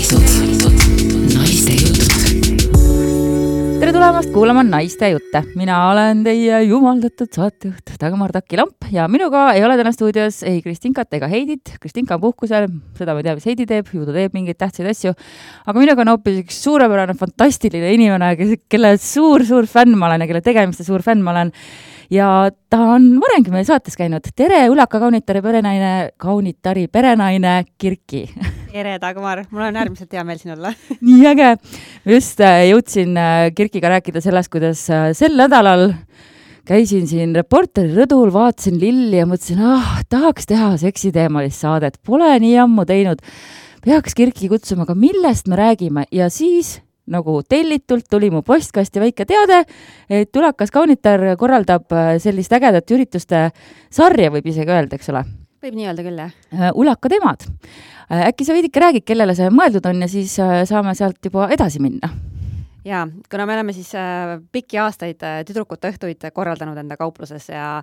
Naiste jutud. Tere tulemast kuulama Naiste jutte. Mina olen teie jumaldatud saatejuht Dagmar Taki-Lamp ja minuga ei ole täna stuudios ei Kristinkat ega Heidit. Kristinka on puhkusel, seda ma ei tea, mis Heidi teeb, ju ta teeb mingeid tähtsaid asju. Aga minuga on hoopis üks suurepärane, fantastiline inimene, kelle suur fänn ma olen ja kelle tegemiste suur fänn ma olen. Ja ta on varemgi meil saates käinud. Tere, Ulaka kaunitari perenaine Kirki. Tere, Dagmar. Mul on äärmiselt hea meel siin olla. Nii äge. Just jõudsin Kirkiga rääkida sellest, kuidas sel nädalal käisin siin Reporteri rõdul, vaatasin lilli ja mõtlesin, tahaks teha seksiteemalist saadet. Pole nii ammu teinud. Peaks Kirki kutsuma, aga millest me räägime? Ja siis nagu tellitult tuli mu postkasti väike teade, et Ulakas kaunitar korraldab sellist ägedat ürituste sarja, võib isegi öelda, eks ole? Võib nii öelda küll, jah. Ulaka temad. Äkki sa veidike räägid, kellele see mõeldud on ja siis saame sealt juba edasi minna? Jaa, kuna me oleme siis pikki aastaid tüdrukute õhtuid korraldanud enda kaupluses ja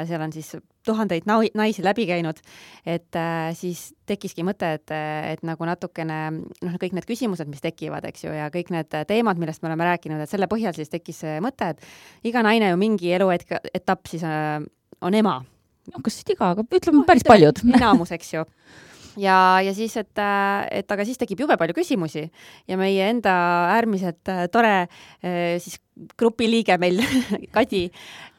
seal on siis tuhandeid naisi läbi käinud, et siis tekkiski mõte, et nagu natukene kõik need küsimused, mis tekivad, eks ju, ja kõik need teemad, millest me oleme rääkinud, et selle põhjal siis tekkis see mõte, et iga naine ju mingi eluetapp siis on ema. Kas iga, aga ütleme päris paljud. Enamus, eks ju. Ja siis, et aga siis tekib jube palju küsimusi ja meie enda äärmiselt tore siis grupiliige meil Kadi,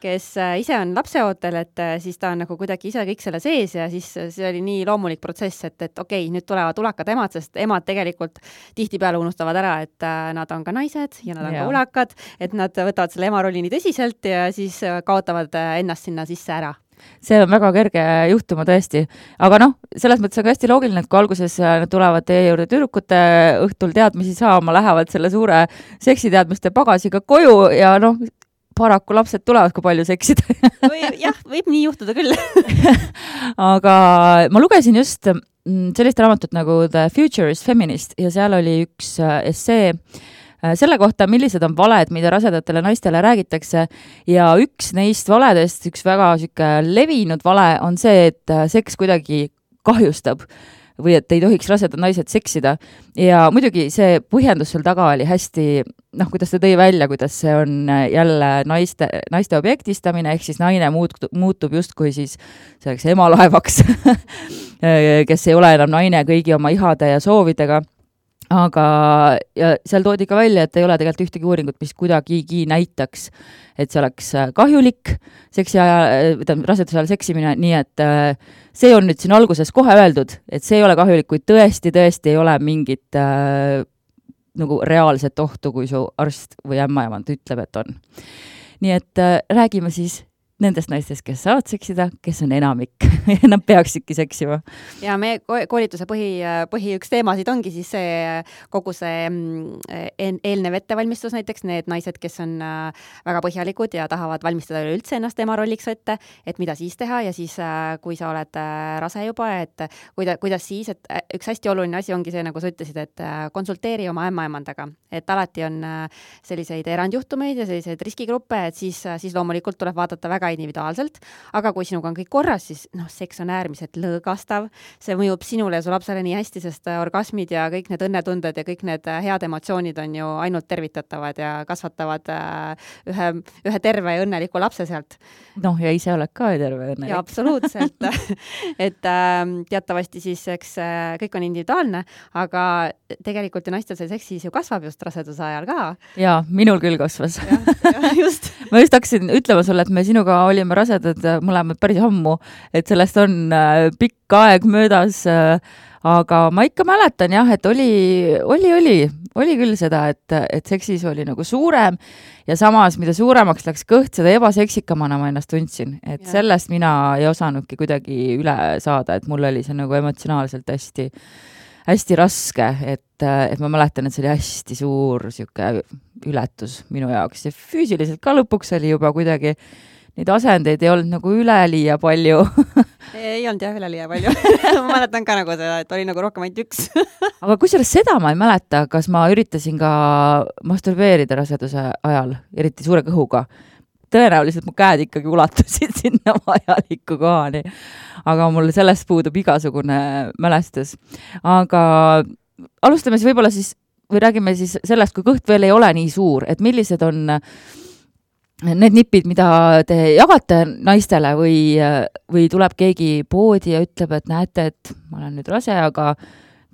kes ise on lapseootel, et siis ta on nagu kuidagi ise kõik selle sees ja siis see oli nii loomulik protsess, et okei, nüüd tulevad ulakad emad, sest emad tegelikult tihtipeale unustavad ära, et nad on ka naised ja nad on ka ulakad, et nad võtavad selle ema rolli nii tõsiselt ja siis kaotavad ennast sinna sisse ära. See on väga kerge juhtuma tõesti. Aga selles mõttes on ka hästi loogiline, et kui alguses nad tulevad teie juurde tüdrukute õhtul teadmisi saama, lähevad selle suure seksiteadmiste pagasiga koju ja paraku lapsed tulevad, kui palju seksida. Jah, võib nii juhtuda küll. Aga ma lugesin just sellist raamatut nagu The Future is Feminist ja seal oli üks essee selle kohta, millised on valed, mida rasedatele naistele räägitakse ja üks neist valedest, üks väga levinud vale on see, et seks kuidagi kahjustab või et ei tohiks rasedad naised seksida ja muidugi see põhjendus seal taga oli hästi, kuidas ta tõi välja, kuidas see on jälle naiste objektistamine, ehk siis naine muutub justkui siis selleks emalaevaks, kes ei ole enam naine kõigi oma ihade ja soovidega. Aga ja seal toodi ka välja, et ei ole tegelikult ühtegi uuringut, mis kuidagigi näitaks, et see oleks kahjulik raseduse ajal seksimine, nii et see on nüüd siin alguses kohe öeldud, et see ei ole kahjulik, kui tõesti ei ole mingit nagu reaalset ohtu, kui su arst või ämmaemand ütleb, et on. Nii et räägime siis nendest naistest, kes saavad seksida, kes on enamik ja nad peaksidki seksima. Ja meie koolituse põhi üks teemasid ongi siis kogu see eelnev ettevalmistus näiteks, need naised, kes on väga põhjalikud ja tahavad valmistada üldse ennast ema rolliks ette, et mida siis teha ja siis, kui sa oled rase juba, et kuidas siis, et üks hästi oluline asi ongi see, nagu sa ütlesid, et konsulteeri oma ämmaemandaga, et alati on selliseid erandjuhtumeid ja selliseid riskigruppe, et siis loomulikult tuleb vaadata väga individuaalselt, aga kui sinuga on kõik korras, siis seks on äärmiselt lõõgastav, see mõjub sinule ja su lapsele nii hästi, sest orgasmid ja kõik need õnnetunded ja kõik need head emotsioonid on ju ainult tervitatavad ja kasvatavad ühe terve ja õnneliku lapse sealt. Ja ise oled ka terve õnnelik. Ja absoluutselt, et teatavasti siis eks kõik on individuaalne, aga tegelikult ju naistel see seksis ju kasvab just raseduse ajal ka. Ja, minul küll kasvas. Ja, just. Ma just hakkasin ütlema sulle, et me sinuga olime rasedad mõlemad päris ammu, et sellest on pikk aeg möödas, aga ma ikka mäletan jah, et oli küll seda, et seksis oli nagu suurem ja samas, mida suuremaks läks kõht, seda ebaseksikamana ma ennast tundsin, et sellest mina ei osanudki kuidagi üle saada, et mul oli see nagu emotsionaalselt hästi raske, et ma mäletan, et see oli hästi suur ületus minu jaoks ja füüsiliselt ka lõpuks oli juba kuidagi neid asendeid ei olnud nagu üleliia palju. Ei olnud jah üleliia palju. Ma mäletan ka nagu seda, et oli nagu rohkem ainult üks. Aga kusjuures seda ma ei mäleta, kas ma üritasin ka masturbeerida raseduse ajal, eriti suure kõhuga. Tõenäoliselt mu käed ikkagi ulatusid sinna vajaliku kohani. Aga mul sellest puudub igasugune mälestus. Aga alustame siis võib-olla siis, või räägime siis sellest, kui kõht veel ei ole nii suur, et millised on need nipid, mida te jagate naistele või tuleb keegi poodi ja ütleb, et näete, et ma olen nüüd rase, aga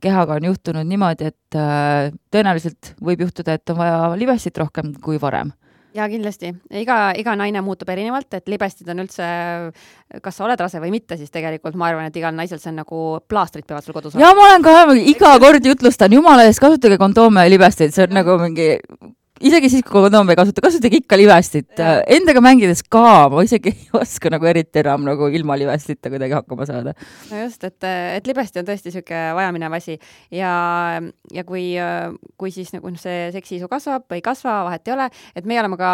kehaga on juhtunud niimoodi, et tõenäoliselt võib juhtuda, et on vaja libestit rohkem kui varem. Ja kindlasti. Iga naine muutub erinevalt, et libestid on üldse, kas sa oled rase või mitte, siis tegelikult ma arvan, et igal naisel see on nagu plaastrid peavad sul kodus. Ja ma olen ka iga kord jutlustan, jumala eest, kasutage kondoome ja libestid, see on nagu mingi... Isegi siis, kui kondoom ei kasutage ikka libestit. Endaga mängides ka, ma isegi ei oska nagu eriti enam nagu ilma libestita kuidagi hakkama saada. No just, et libesti on tõesti siuke vajaminev asi ja kui siis nagu see seksiisu kasvab või ei kasva, vahet ei ole, et me oleme ka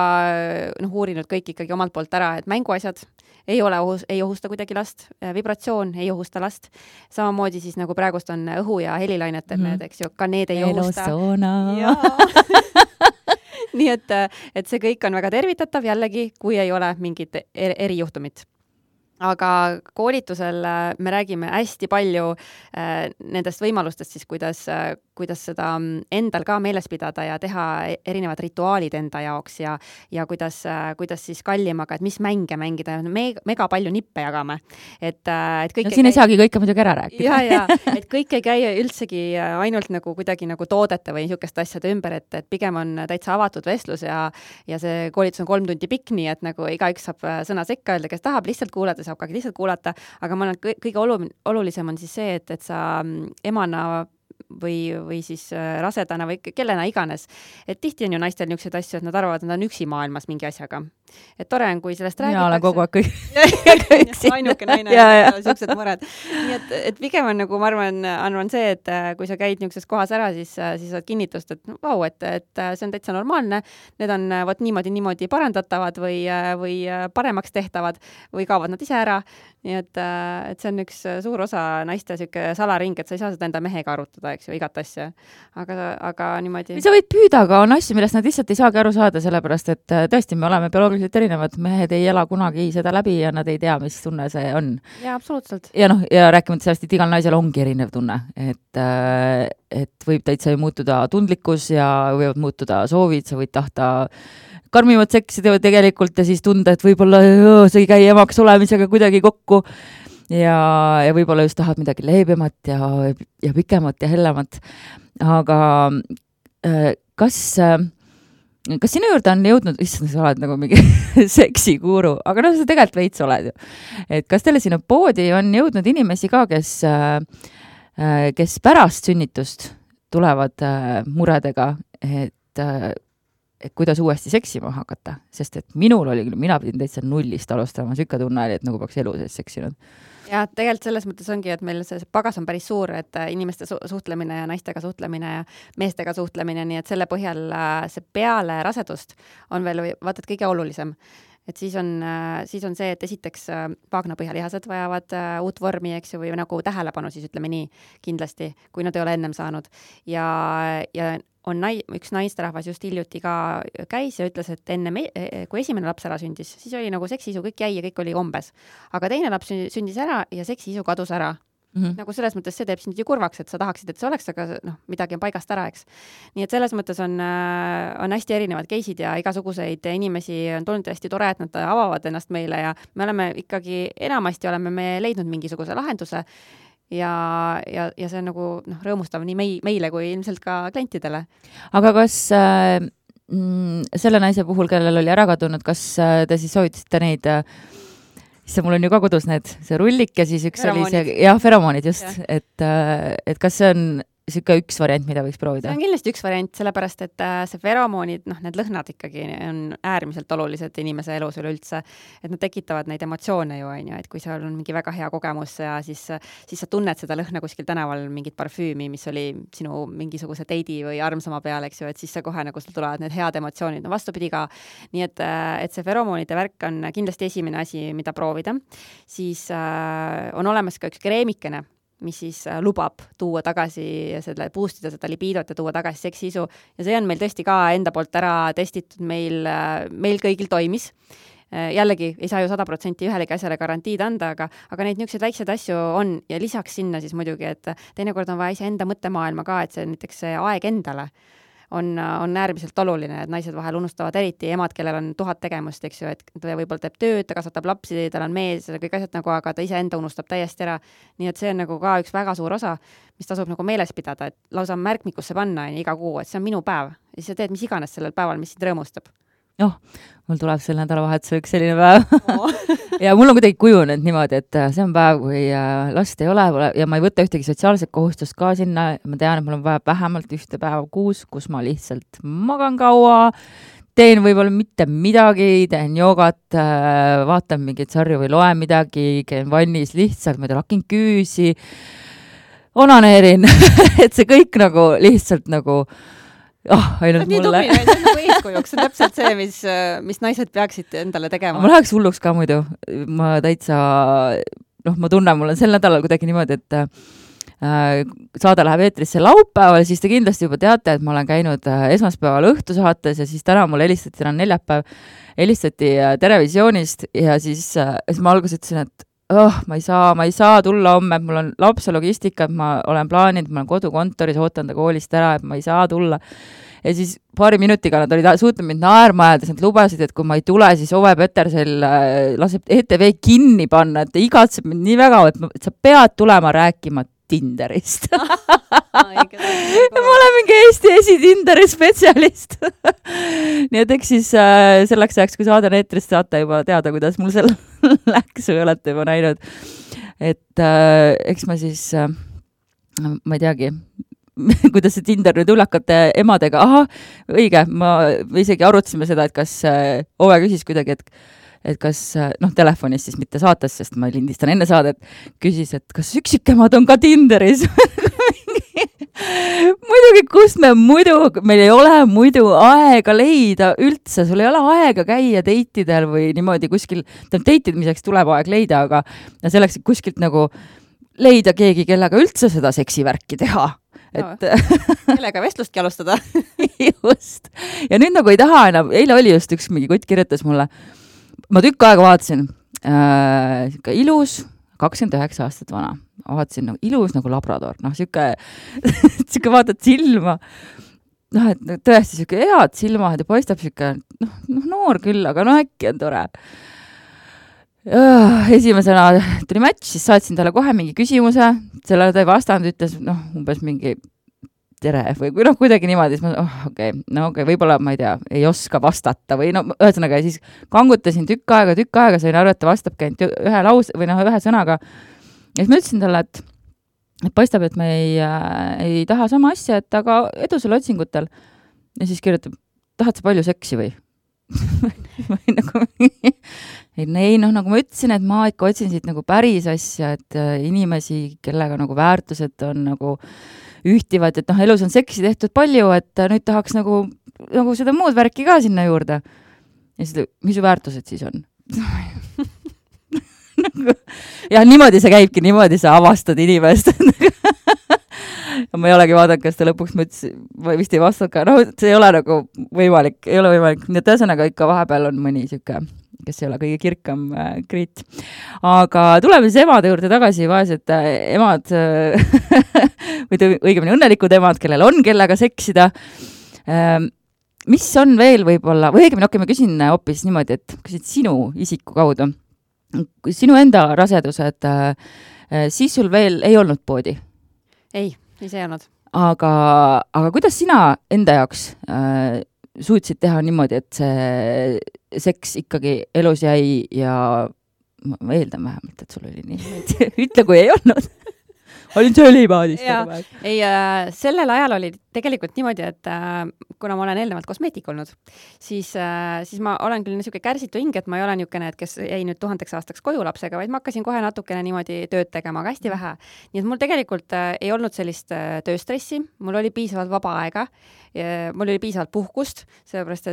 uurinud kõik ikkagi omalt poolt ära, et mänguasjad ei ohusta kuidagi last, vibratsioon ei ohusta last. Samamoodi siis nagu praegust on õhu- ja helilainetel need, eks ju, ka need ei ohusta. Nii et see kõik on väga tervitatav jällegi, kui ei ole mingit erijuhtumit. Aga koolitusel me räägime hästi palju nendest võimalustest siis, kuidas seda endal ka meeles pidada ja teha erinevad rituaalid enda jaoks ja kuidas siis kallimaga, et mis mänge mängida. Mega palju nippe jagame. No siin ei saagi kõike muidugi ära rääkida. Ja, et kõik ei käi üldsegi ainult nagu kuidagi nagu toodete või niisugust asjade ümber, et pigem on täitsa avatud vestlus ja see koolitus on 3 tundi pikk, nii et nagu igaüks saab sõna sekka öelda, kes tahab lihtsalt kuulata, saab ka lihtsalt kuulata, aga ma arvan, kõige olulisem on siis see, et sa emana või siis rasedana või kellena iganes. Et tihti on ju naistel niisuguseid asju, et nad arvavad, et nad on üksi maailmas mingi asjaga. Et tore on, kui sellest räägitakse. Mina olen kogu aeg üksi. Ainuke naine ja siuksed mured. Nii et pigem on nagu, ma arvan see, et kui sa käid niisuguses kohas ära, siis saad kinnitust, et vau, et see on täitsa normaalne. Need on võt niimoodi parandatavad või paremaks tehtavad või kaovad nad ise ära. Nii et see on üks suur osa naiste siuke salaring, et sa ei saa seda enda mehega arutada, eks ju, igat asja. Aga niimoodi... Sa võid püüda, aga on asju, millest nad lihtsalt ei saagi aru saada, sellepärast et tõesti, me oleme bioloogiliselt erinevad, mehed ei ela kunagi seda läbi ja nad ei tea, mis tunne see on. Ja, absoluutselt. Ja rääkimata sellest, et igal naisel ongi erinev tunne, et võib täitsa ju muutuda tundlikkus ja võivad muutuda soovid, sa võid tahta karmimat seksi teevad tegelikult ja siis tunda, et võib-olla see ei käi emaks olemisega kuidagi kokku ja võib-olla just tahad midagi leebemat ja pikemat ja hellemat. Aga kas sinu juurde on jõudnud, issand, sa oled nagu mingi seksikuuru, aga sa tegelikult veits oled ju. Et kas teile sinu poodi on jõudnud inimesi ka, kes pärast sünnitust tulevad muredega, et kuidas uuesti seksima hakata, sest et minul oli küll, mina pidin täitsa nullist alustama, sükke tunne oli, et nagu peaks elu sees seksinud. Ja tegelikult selles mõttes ongi, et meil see pagas on päris suur, et inimeste suhtlemine ja naistega suhtlemine ja meestega suhtlemine, nii et selle põhjal see peale rasedust on veel vaatad kõige olulisem. Et siis on see, et esiteks vaagnapõhjalihased vajavad uut vormi, eks ju, või nagu tähelepanu siis ütleme nii kindlasti, kui nad ei ole ennem saanud. Ja on üks naisterahvas just hiljuti ka käis ja ütles, et kui esimene laps ära sündis, siis oli nagu seksiisu kõik jäi ja kõik oli kombes. Aga teine laps sündis ära ja seksiisu kadus ära. Nagu selles mõttes see teeb sind ju kurvaks, et sa tahaksid, et see oleks, aga midagi on paigast ära, eks. Nii et selles mõttes on hästi erinevad case'id ja igasuguseid inimesi on tulnud hästi tore, et nad avavad ennast meile ja me oleme ikkagi, enamasti oleme me leidnud mingisuguse lahenduse ja see on nagu rõõmustav nii meile kui ilmselt ka klientidele. Aga kas selle naise puhul, kellel oli ära kadunud, kas te siis soovitasite neid mul on ju ka kodus see rullik ja siis üks feromoonid. Oli see, feromoonid just, et kas see on siuke üks variant, mida võiks proovida? See on kindlasti üks variant, sellepärast, et see feromoonid, need lõhnad ikkagi on äärmiselt olulised inimese elus üleüldse, et nad tekitavad neid emotsioone ju, et kui seal on mingi väga hea kogemus ja siis sa tunned seda lõhna kuskil tänaval mingit parfüümi, mis oli sinu mingisuguse teidi või armsama peal, eks ju, et siis see kohe nagu sul tulevad need head emotsioonid, vastupidi ka. Nii et see feromoonide värk on kindlasti esimene asi, mida proovida. Siis on olemas ka üks kreemikene, mis siis lubab tuua tagasi selle, boostida seda libiidot ja tuua tagasi seksiisu. Ja see on meil tõesti ka enda poolt ära testitud, meil kõigil toimis. jällegi ei saa ju 100% ühelegi asjale garantiid anda, aga neid niisuguseid väikseid asju on ja lisaks sinna siis muidugi, et teinekord on vaja iseenda mõttemaailma ka, et see näiteks see aeg endale on äärmiselt oluline, et naised vahel unustavad eriti emad, kellel on 1000 tegemust, eks ju, et ta võib-olla teeb tööd, ta kasvatab lapsi, tal on mees, kõik asjad nagu, aga ta iseenda unustab täiesti ära. Nii et see on nagu ka üks väga suur osa, mis tasub nagu meeles pidada, et lausa märkmikusse panna iga kuu, et see on minu päev ja siis sa teed mis iganes sellel päeval, mis sind rõõmustab. Mul tuleb selle nädalavahetuse üks selline päev ja mul on kuidagi kujunenud niimoodi, et see on päev, kui last ei ole ja ma ei võta ühtegi sotsiaalset kohustust ka sinna, ma tean, et mul on vaja vähemalt ühte päeva kuus, kus ma lihtsalt magan kaua, teen võib-olla mitte midagi, teen joogat, vaatan mingeid sarju või loen midagi, käin vannis lihtsalt, ma lakin küüsi, onaneerin et see kõik nagu lihtsalt nagu ainult nii mulle. See on nagu eeskujuks, see on täpselt see, mis naised peaksid endale tegema. Ma läheks hulluks ka muidu. Ma täitsa, ma tunnen, mul on sel nädalal kuidagi niimoodi, et saade läheb eetrisse laupäeval, siis te kindlasti juba teate, et ma olen käinud esmaspäeval õhtusaates ja siis täna mulle helistati, täna neljapäev, helistati Terevisioonist ja siis ma alguses ütlesin, et ma ei saa tulla homme, et mul on lapse logistika, et ma olen plaaninud, ma olen kodukontoris, ootan ta koolist ära, et ma ei saa tulla. Ja siis paari minutiga nad olid suutnud mind naerma ajades, nad lubasid, et kui ma ei tule, siis Ove Petersel laseb ETV kinni panna, et ta igatseb mind nii väga, et sa pead tulema rääkima Tinderist. Ma olen mingi Eesti Tinderi spetsialist. Nii et eks siis selleks ajaks, kui saade eetrist saate juba teada, kuidas mul seal läks või olete juba näinud. Et eks ma siis, ma ei teagi, kuidas see Tinder nüüd ulakate emadega, õige, me isegi arutasime seda, et kas Ove küsis kuidagi, et kas, telefonis siis mitte saates, sest ma lindistan enne saadet, küsis, et kas üksikemad on ka Tinderis. Muidugi, kust meil ei ole muidu aega leida üldse, sul ei ole aega käia deitidel või niimoodi kuskil, deitimiseks tuleb aeg leida, aga selleks kuskilt nagu leida keegi, kellega üldse seda seksivärki teha. Kellega vestlustki alustada. Just. Ja nüüd nagu ei taha enam, eile oli just üks mingi kutt kirjutas mulle, ma tükk aega vaatasin, ilus, 29 aastat vana, vaatasin nagu ilus nagu labrador, siuke vaatad silma, et tõesti siuke head silmad ja paistab siuke, noor küll, aga äkki on tore. Esimesena tuli match, siis saatsin talle kohe mingi küsimuse, sellele ta ei vastanud, ütles umbes mingi tere või kuidagi niimoodi, siis ma võib-olla ma ei tea, ei oska vastata või ühesõnaga siis kangutasin tükk aega, sain aru, et ta vastabki ainult ühe lause või ühe sõnaga. Ja siis ma ütlesin talle, et paistab, et me ei taha sama asja, et aga edu selle otsingutel. Ja siis kirjutab, tahad sa palju seksi või? Ei, nagu ma ütlesin, et ma ikka otsin siit nagu päris asja, et inimesi, kellega nagu väärtused on nagu ühtivad, et elus on seksi tehtud palju, et nüüd tahaks nagu seda muud värki ka sinna juurde. Ja siis, mis su väärtused siis on? Ja niimoodi see käibki, niimoodi sa avastad inimest. Ma ei olegi vaadanud, kas ta lõpuks ma vist ei vastanud ka. See ei ole nagu võimalik, Nii et ühesõnaga ikka vahepeal on mõni siuke, kes ei ole kõige kirkam kriit. Aga tuleme siis emade juurde tagasi, vaesed emad või õigemini õnnelikud emad, kellel on kellega seksida. Mis on veel võib-olla, või õigemini ma küsin hoopis niimoodi, et küsid sinu isiku kaudu. Sinu enda rasedused, siis sul veel ei olnud poodi? Ei see ei olnud. Aga kuidas sina enda jaoks suutsid teha niimoodi, et see seks ikkagi elus jäi ja ma eeldan vähemalt, et sul oli nii. Ütle, kui ei olnud. Olin söölipaadis. Ei, sellel ajal oli tegelikult niimoodi, et kuna ma olen eelnevalt kosmeetik olnud, siis ma olen küll niisugune kärsitu hing, et ma ei ole niisugune, et kes jäi nüüd 1000 aastaks koju lapsega, vaid ma hakkasin kohe natukene niimoodi tööd tegema, aga hästi vähe. Nii et mul tegelikult ei olnud sellist tööstressi, mul oli piisavalt vaba aega, mul oli piisavalt puhkust, sellepärast,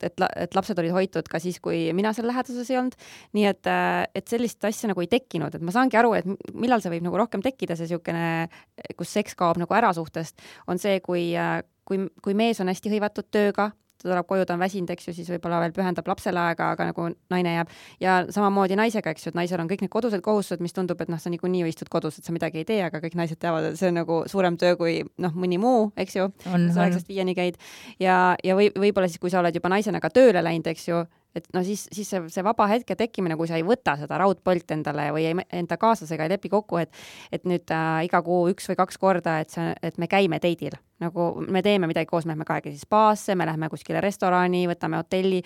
et lapsed olid hoitud ka siis, kui mina seal läheduses ei olnud. Nii et sellist asja nagu ei tekkinud, et ma saangi aru, et millal see võib nagu rohkem tekkida, see niisugune, kus seks kaob nagu ära suhtest, on see, kui mees on hästi hõivatud tööga, tuleb koju, ta on väsinud, eks ju, siis võib-olla veel pühendab lapsele aega, aga nagu naine jääb. Ja samamoodi naisega, eks ju, et naisel on kõik need kodused kohustused, mis tundub, et sa niikuinii istud kodus, et sa midagi ei tee, aga kõik naised teavad, et see on nagu suurem töö kui mõni muu, eks ju, sa 9-5 käid. Ja võib-olla siis, kui sa oled juba naisena ka tööle läinud, eks ju, et siis see vaba hetke tekkimine, kui sa ei võta seda raudpolt endale või enda kaaslasega ei lepi kokku, et nüüd iga kuu 1 või 2 korda, et me käime teidil. Nagu me teeme midagi koos, me lähme kahekesi spaasse, me lähme kuskile restorani, võtame hotelli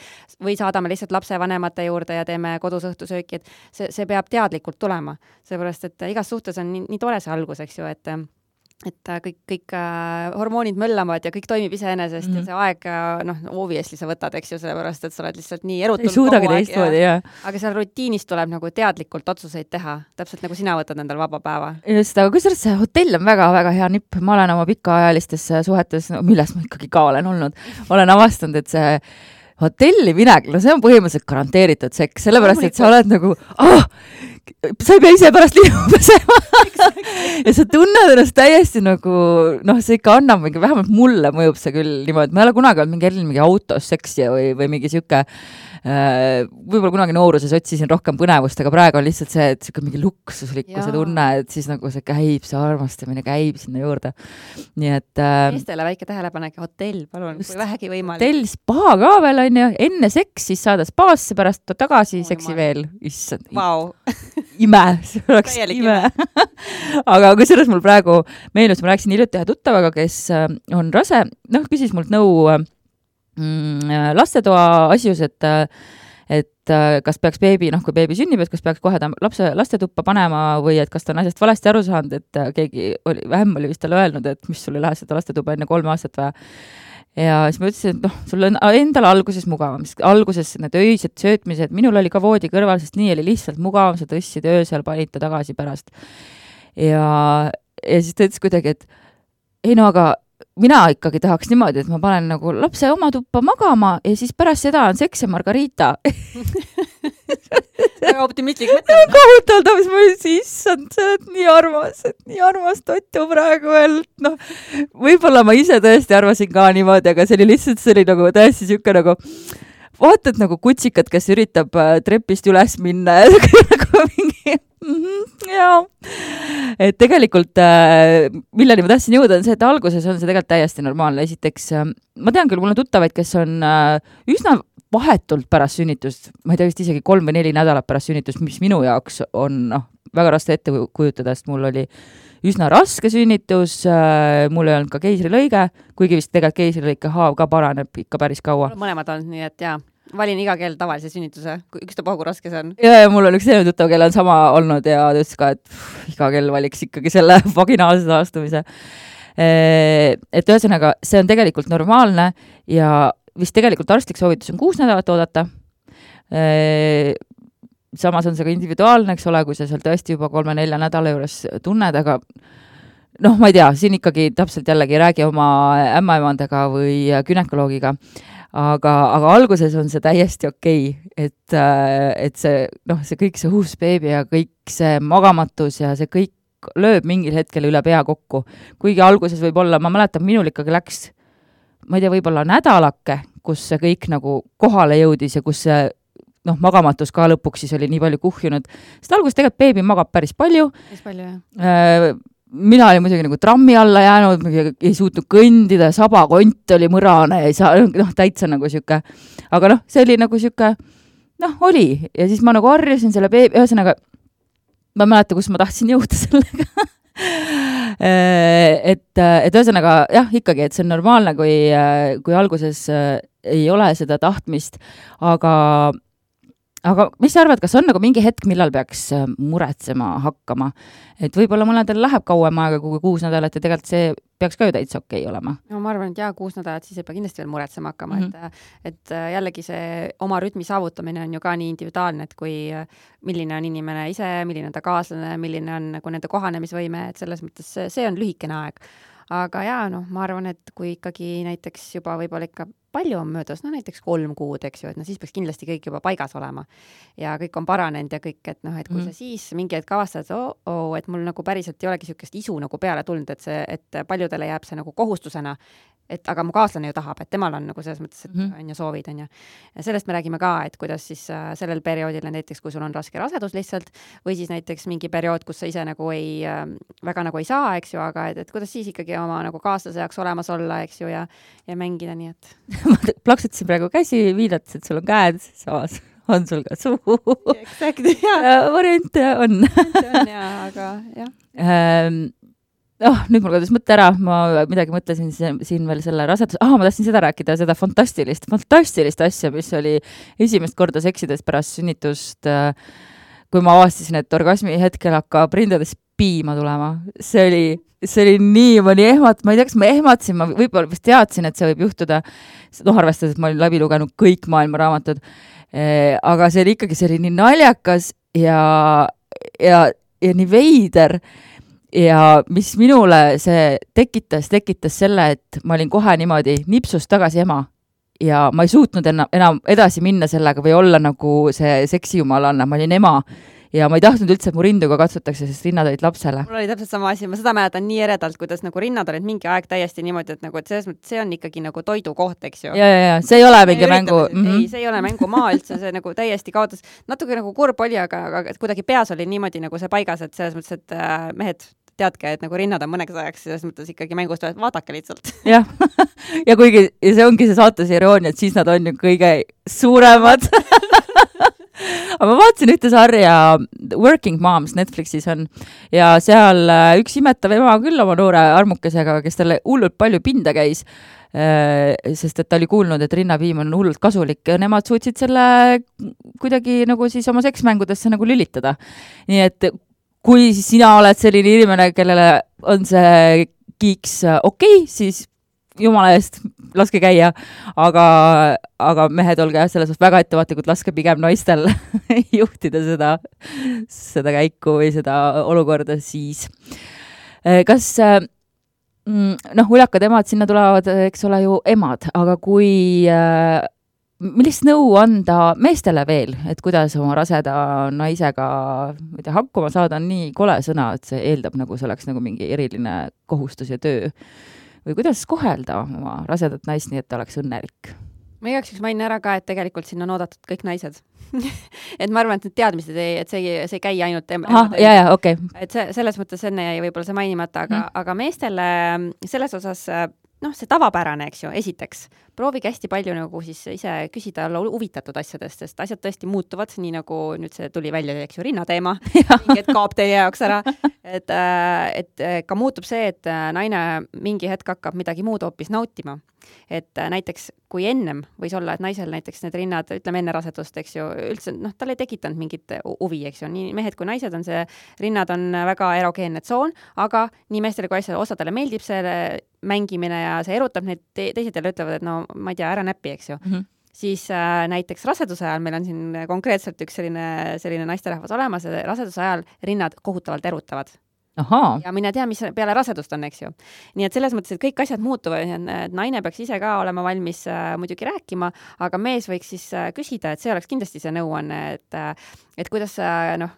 või saadame lihtsalt lapsevanemate juurde ja teeme kodus õhtusööki, et see peab teadlikult tulema. Seepärast, et igas suhtes on nii tore see algus, eks ju, et kõik hormoonid möllavad ja kõik toimib iseenesest ja see aeg, obviously sa võtad, eks ju, sellepärast, et sa oled lihtsalt nii erutul. Ei suudagi teistmoodi, jah. Aga seal rutiinist tuleb nagu teadlikult otsuseid teha, täpselt nagu sina võtad endal vaba päeva. Just, aga kusjuures see hotell on väga-väga hea nipp. Ma olen oma pikaajalistes suhetes, milles ma ikkagi ka olen olnud, olen avastanud, et see hotelli minek, see on põhimõtteliselt garanteeritud seks, sellepärast, et sa oled nagu, sa ei pea ise pärast liiva pesema. Ja sa tunned ennast täiesti nagu, see ikka annab mingi, vähemalt mulle mõjub see küll niimoodi, ma ei ole kunagi olnud mingi autos seksi või mingi siuke, võib-olla kunagi nooruses otsisin rohkem põnevust, aga praegu on lihtsalt see, et mingi luksuslikkuse tunne, et siis nagu see käib, see armastamine käib sinna juurde. Nii et meestele väike tähelepanek, hotell, palun, kui vähegi võimalik. Hotell, spa ka veel on ju, enne seks, siis saada spaasse, pärast tagasi seksi veel. Issand, ime, see oleks ime. Aga kusjuures mul praegu meenus, ma rääkisin hiljuti ühe tuttavaga, kes on rase, küsis mult nõu lastetoa asjus, et kas peaks beebi, kui beebi sünnib, et kas peaks kohe ta lastetuppa panema või et kas ta on asjast valesti aru saanud, et keegi oli vist talle öelnud, et mis sul ei lähe seda lastetuba enne 3 aastat vaja. Ja siis ma ütlesin, et sul on endal alguses mugavam, sest alguses need öised söötmised, minul oli ka voodi kõrval, sest nii oli lihtsalt mugavam, sa tõstsid öösel, panid ta tagasi pärast. Ja siis ta ütles kuidagi, et ei aga mina ikkagi tahaks niimoodi, et ma panen nagu lapse oma tuppa magama ja siis pärast seda on seks ja margarita. Väga optimistlik mõte. Väga hutaldab, siis ma ütlesin, issand, sa oled nii armas tottu praegu veel. Võib-olla ma ise tõesti arvasin ka niimoodi, aga see oli lihtsalt, see oli nagu täiesti siuke nagu vaatad nagu kutsikad, kes üritab trepist üles minna ja nagu mingi jaa. Et tegelikult milleni ma tahtsin jõuda on see, et alguses on see tegelikult täiesti normaalne. Esiteks, ma tean küll, mul on tuttavaid, kes on üsna vahetult pärast sünnitust, ma ei tea vist isegi 3 või 4 nädalat pärast sünnitust, mis minu jaoks on väga raske ette kujutada, sest mul oli üsna raske sünnitus, mul ei olnud ka keisrilõige, kuigi vist tegelikult keisrilõike haav ka paraneb ikka päris kaua. Mõlemad on, nii et jaa, valin iga kell tavalise sünnituse, ükstapuha kui raske see on. Ja mul on üks selline tuttav, kelle on sama olnud ja ta ütles ka, et iga kell valiks ikkagi selle vaginaalse taastumise. Et ühesõnaga, see on tegelikult normaalne ja vist tegelikult arstlik soovitus on 6 nädalat oodata. Samas on see ka individuaalne, eks ole, kui sa seal tõesti juba 3-4 nädala juures tunned, aga ma ei tea, siin ikkagi täpselt jällegi räägi oma ämmaemandega või günekoloogiga, aga alguses on see täiesti okei, et see kõik see uus beebi ja kõik see magamatus ja see kõik lööb mingil hetkel üle pea kokku. Kuigi alguses võib olla, ma mäletan, minul ikkagi läks, ma ei tea, võib-olla nädalake, kus see kõik nagu kohale jõudis ja kus see magamatus ka lõpuks siis oli nii palju kuhjunud. Sest alguses tegelikult beebi magab päris palju. Mina olin muidugi nagu trammi alla jäänud, ei suutnud kõndida, sabakont oli mõrane ja ei saa, täitsa nagu siuke. Aga see oli nagu siuke, oli. Ja siis ma nagu harjusin selle beebi, ühesõnaga, ma mäleta, kus ma tahtsin jõuda sellega. et ühesõnaga, jah, ikkagi, et see on normaalne, kui alguses ei ole seda tahtmist, aga mis sa arvad, kas on nagu mingi hetk, millal peaks muretsema hakkama? Et võib-olla mõnedel läheb kauem aega kui 6 nädalat ja tegelikult see peaks ka ju täitsa okei olema. No ma arvan, et 6 nädalat siis ei pea kindlasti veel muretsema hakkama, et jällegi see oma rütmi saavutamine on ju ka nii individuaalne, et kui milline on inimene ise, milline on ta kaaslane, milline on nagu nende kohanemisvõime, et selles mõttes see on lühikene aeg. Aga jaa, ma arvan, et kui ikkagi näiteks juba võib-olla ikka palju on möödas, no näiteks 3 kuud, eks ju, et siis peaks kindlasti kõik juba paigas olema ja kõik on paranenud ja kõik, et et kui sa siis mingi hetk avastad, et mul nagu päriselt ei olegi niisugust isu nagu peale tulnud, et paljudele jääb see nagu kohustusena, et aga mu kaaslane ju tahab, et temal on nagu selles mõttes, et on ju soovid, on ju. Ja sellest me räägime ka, et kuidas siis sellel perioodil näiteks, kui sul on raske rasedus lihtsalt, või siis näiteks mingi periood, kus sa ise nagu väga nagu ei saa, eks ju, aga et kuidas siis ikkagi oma nagu kaaslase jaoks olemas olla, eks ju, ja mängida, nii et. Ma plaksutasin praegu käsi, viidates, et sul on käed, samas on sul ka suu. Exactly, jah. Variante on. on, jah, aga jah. Nüüd mul kadus mõtte ära, ma midagi mõtlesin siin veel selle rasedus, ma tahtsin seda rääkida, seda fantastilist asja, mis oli esimest korda seksides pärast sünnitust, kui ma avastasin, et orgasmi hetkel hakkab rindades piima tulema. See oli nii, ma ei tea, kas ma ehmatasin, ma võib-olla vist teadsin, et see võib juhtuda, arvestades, et ma olin läbi lugenud kõik maailma raamatud, aga see oli nii naljakas ja nii veider. Ja mis minule see tekitas selle, et ma olin kohe niimoodi nipsust tagasi ema ja ma ei suutnud enam edasi minna sellega või olla nagu see seksijumalanna, ma olin ema ja ma ei tahtnud üldse, et mu rinduga katsutakse, sest rinnad olid lapsele. Mul oli täpselt sama asi, ma seda mäletan nii eredalt, kuidas nagu rinnad olid mingi aeg täiesti niimoodi, et nagu, et selles mõttes see on ikkagi nagu toidukoht, eks ju. Ja, see ei ole mingi mängu. Ei, see ei ole mängumaa üldse, see nagu täiesti kaotas. Natuke nagu kurb oli, aga kuidagi peas oli niimoodi nagu see paigas, et selles mõttes, et mehed teadke, et nagu rinnad on mõneks ajaks, selles mõttes ikkagi mängust vaadake lihtsalt. Jah, ja kuigi see ongi see saates iroonia, et siis nad on ju kõige suuremad. Aga ma vaatasin ühte sarja Working Moms Netflixis on ja seal üks imetav ema küll oma noore armukesega, kes talle hullult palju pinda käis, sest et ta oli kuulnud, et rinnapiim on hullult kasulik ja nemad suutsid selle kuidagi nagu siis oma seksmängudesse nagu lülitada. Nii et kui sina oled selline inimene, kellele on see kiiks okei, siis jumala eest laske käia, aga mehed olge selles väga ettevaatlikud, laske pigem naistel juhtida seda käiku või seda olukorda siis. Kas uljakad emad sinna tulevad, eks ole ju emad, aga millist nõu anda meestele veel, et kuidas oma raseda naisega hakkama saada on nii kole sõna, et see eeldab nagu see oleks nagu mingi eriline kohustus ja töö. Või kuidas kohelda oma rasedat naist nii, et ta oleks õnnelik? Ma igaks mainin ära ka, et tegelikult sinna on oodatud kõik naised. Et ma arvan, et need teadmised, et see ei käi ainult okay. Et selles mõttes enne jäi võib-olla see mainimata, aga meestele selles osas see tavapärane, eks ju, esiteks. Proovige hästi palju nagu siis ise küsida olla huvitatud asjadest, sest asjad tõesti muutuvad, nii nagu nüüd see tuli välja, eks ju, rinnateema, mingi hetk kaob teie jaoks ära, et ka muutub see, et naine mingi hetk hakkab midagi muud hoopis nautima. Et näiteks kui ennem võis olla, et naisel näiteks need rinnad, ütleme enne rasedust, eks ju, üldse, tal ei tekitanud mingit huvi, eks ju, nii mehed kui naised on rinnad on väga erogeenne tsoon, aga nii meestele kui osadele meeldib see mängimine ja see erutab neid, teised jälle ütlevad, et no ma ei tea, ära näpi, eks ju. Siis näiteks raseduse ajal, meil on siin konkreetselt üks selline naisterahvas olemas, raseduse ajal rinnad kohutavalt erutavad. Aha. Ja mine tea, mis peale rasedust on, eks ju. Nii et selles mõttes, et kõik asjad muutuvad, et naine peaks ise ka olema valmis muidugi rääkima, aga mees võiks siis küsida, et see oleks kindlasti see nõuanne, et kuidas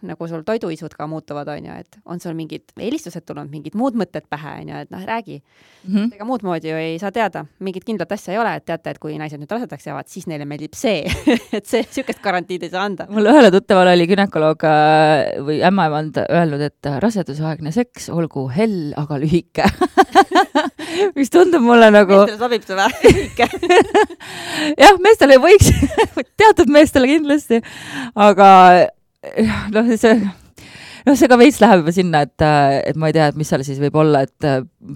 nagu sul toiduisud ka muutuvad, on ju, et on sul mingid eelistused tulnud, mingid muud mõtted pähe, on ju, et räägi. Ega muud moodi ju ei saa teada, mingit kindlat asja ei ole, et teate, et kui naised nüüd rasedaks jäävad, siis neile meeldib see, et see sükest garantiid ei saa anda. Mul ühele tuttaval oli gynekoloog või ämmaemand öelnud, et rasedusaegne seks olgu hell, aga lühike. Mis tundub mulle nagu... Meestele sobib see või? Lühike. Jah, meestele võiks, teatud meestele kindlasti, aga see ka veits läheb juba sinna, et ma ei tea, et mis seal siis võib olla, et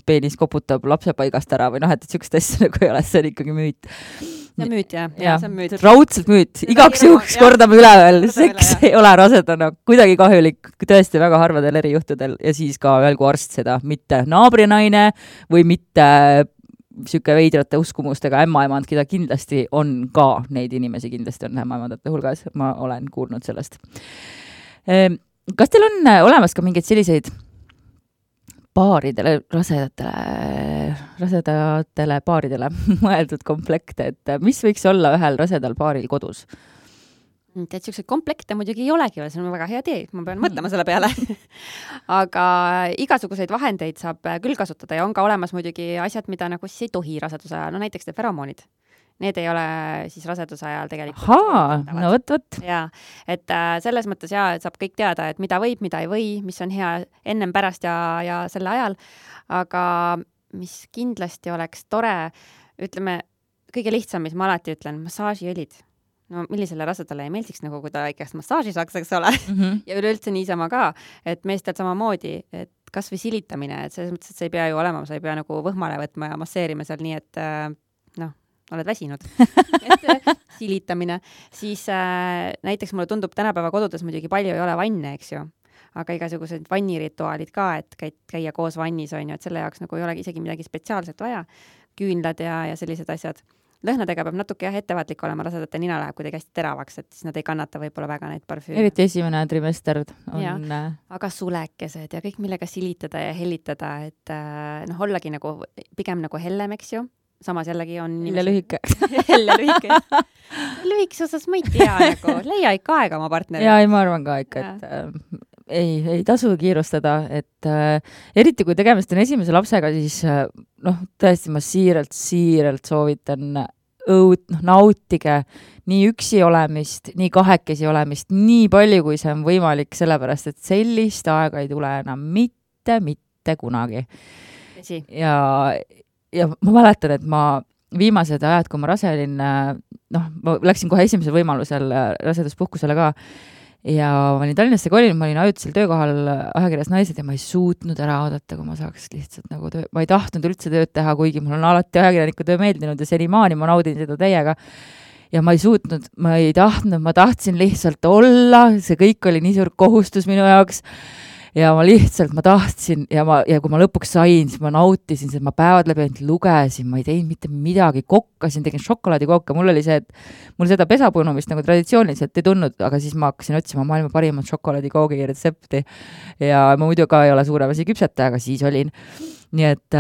peenis koputab lapse paigast ära või et sükst asja nagu ei ole, see on ikkagi müüt. See on müüt, jah. See on müüt. Raudselt müüt. Igaks juhuks kordame üle veel. Seks ei ole rasedana kuidagi kahjulik, tõesti väga harvadel erijuhtudel ja siis ka öelgu arst seda, mitte naabrinaine või mitte siuke veidrate uskumustega ämmaemand, keda kindlasti on ka, neid inimesi kindlasti on ämmaemandate hulgas, ma olen kuulnud sellest. Kas teil on olemas ka mingeid selliseid paaridele, rasedatele paaridele mõeldud komplekte, et mis võiks olla ühel rasedal paaril kodus? Tead, selliseid komplekte muidugi ei olegi, see on väga hea tee, ma pean mõtlema selle peale. Aga igasuguseid vahendeid saab küll kasutada ja on ka olemas muidugi asjad, mida nagu siis ei tohi raseduse ajal, no näiteks feromoonid. Need ei ole siis raseduse ajal tegelikult. No võt. Jaa, et selles mõttes et saab kõik teada, et mida võib, mida ei või, mis on hea ennem, pärast ja selle ajal. Aga mis kindlasti oleks tore, ütleme, kõige lihtsam, mis ma alati ütlen, massaažiõlid. No millisele rasedale ei meeldiks, nagu kui ta ikka massaaži saaks, eks ole. Ja üleüldse niisama ka, et meestel samamoodi, et kas või silitamine, et selles mõttes, et sa ei pea ju olema, sa ei pea nagu võhmale võtma ja masseerima seal nii, et oled väsinud. Et silitamine. Siis näiteks mulle tundub tänapäeva kodudes muidugi palju ei ole vanne, eks ju. Aga igasugused vannirituaalid ka, et käia koos vannis on ju, et selle jaoks nagu ei ole isegi midagi spetsiaalset vaja. Küünlad ja sellised asjad. Lõhnadega peab natuke ettevaatlik olema, rasedate nina läheb kuidagi hästi teravaks, et siis nad ei kannata võib-olla väga neid parfüüme. Eriti esimene trimester on... Aga sulekesed ja kõik, millega silitada ja hellitada, et ollagi nagu, pigem nagu hellem, eks ju. Samas jällegi on... Helle lühike. Helle lühike. Lühikes osas ma ei tea, nagu leia ikka aega oma partneri. Jaa, ma arvan ka ikka, et ei tasu kiirustada, et eriti kui tegemist on esimese lapsega, siis tõesti ma siiralt soovitan nautige nii üksi olemist, nii kahekesi olemist, nii palju, kui see on võimalik, sellepärast, et sellist aega ei tule enam mitte kunagi. Ja ma mäletan, et ma viimased ajad, kui ma rase olin, ma läksin kohe esimesel võimalusel raseduspuhkusele ka ja ma olin Tallinnasse kolin, ma olin ajutisel töökohal ajakirjas Naised ja ma ei suutnud ära oodata, kui ma saaks lihtsalt nagu ma ei tahtnud üldse tööd teha, kuigi mul on alati ajakirjaniku töö meeldinud ja senimaani ma naudin seda täiega. Ja ma ei suutnud, ma ei tahtnud, ma tahtsin lihtsalt olla, see kõik oli nii suur kohustus minu jaoks. Ja ma tahtsin ja kui ma lõpuks sain, siis ma nautisin, et ma päevad läbi ainult lugesin, ma ei teinud mitte midagi, kokkasin, tegin šokolaadikooka, mul oli see, et mul seda pesapunumist nagu traditsiooniliselt ei tulnud, aga siis ma hakkasin otsima maailma parimat šokolaadikoogi retsepti ja ma muidu ka ei ole suurem asi küpsetaja, aga siis olin. Nii et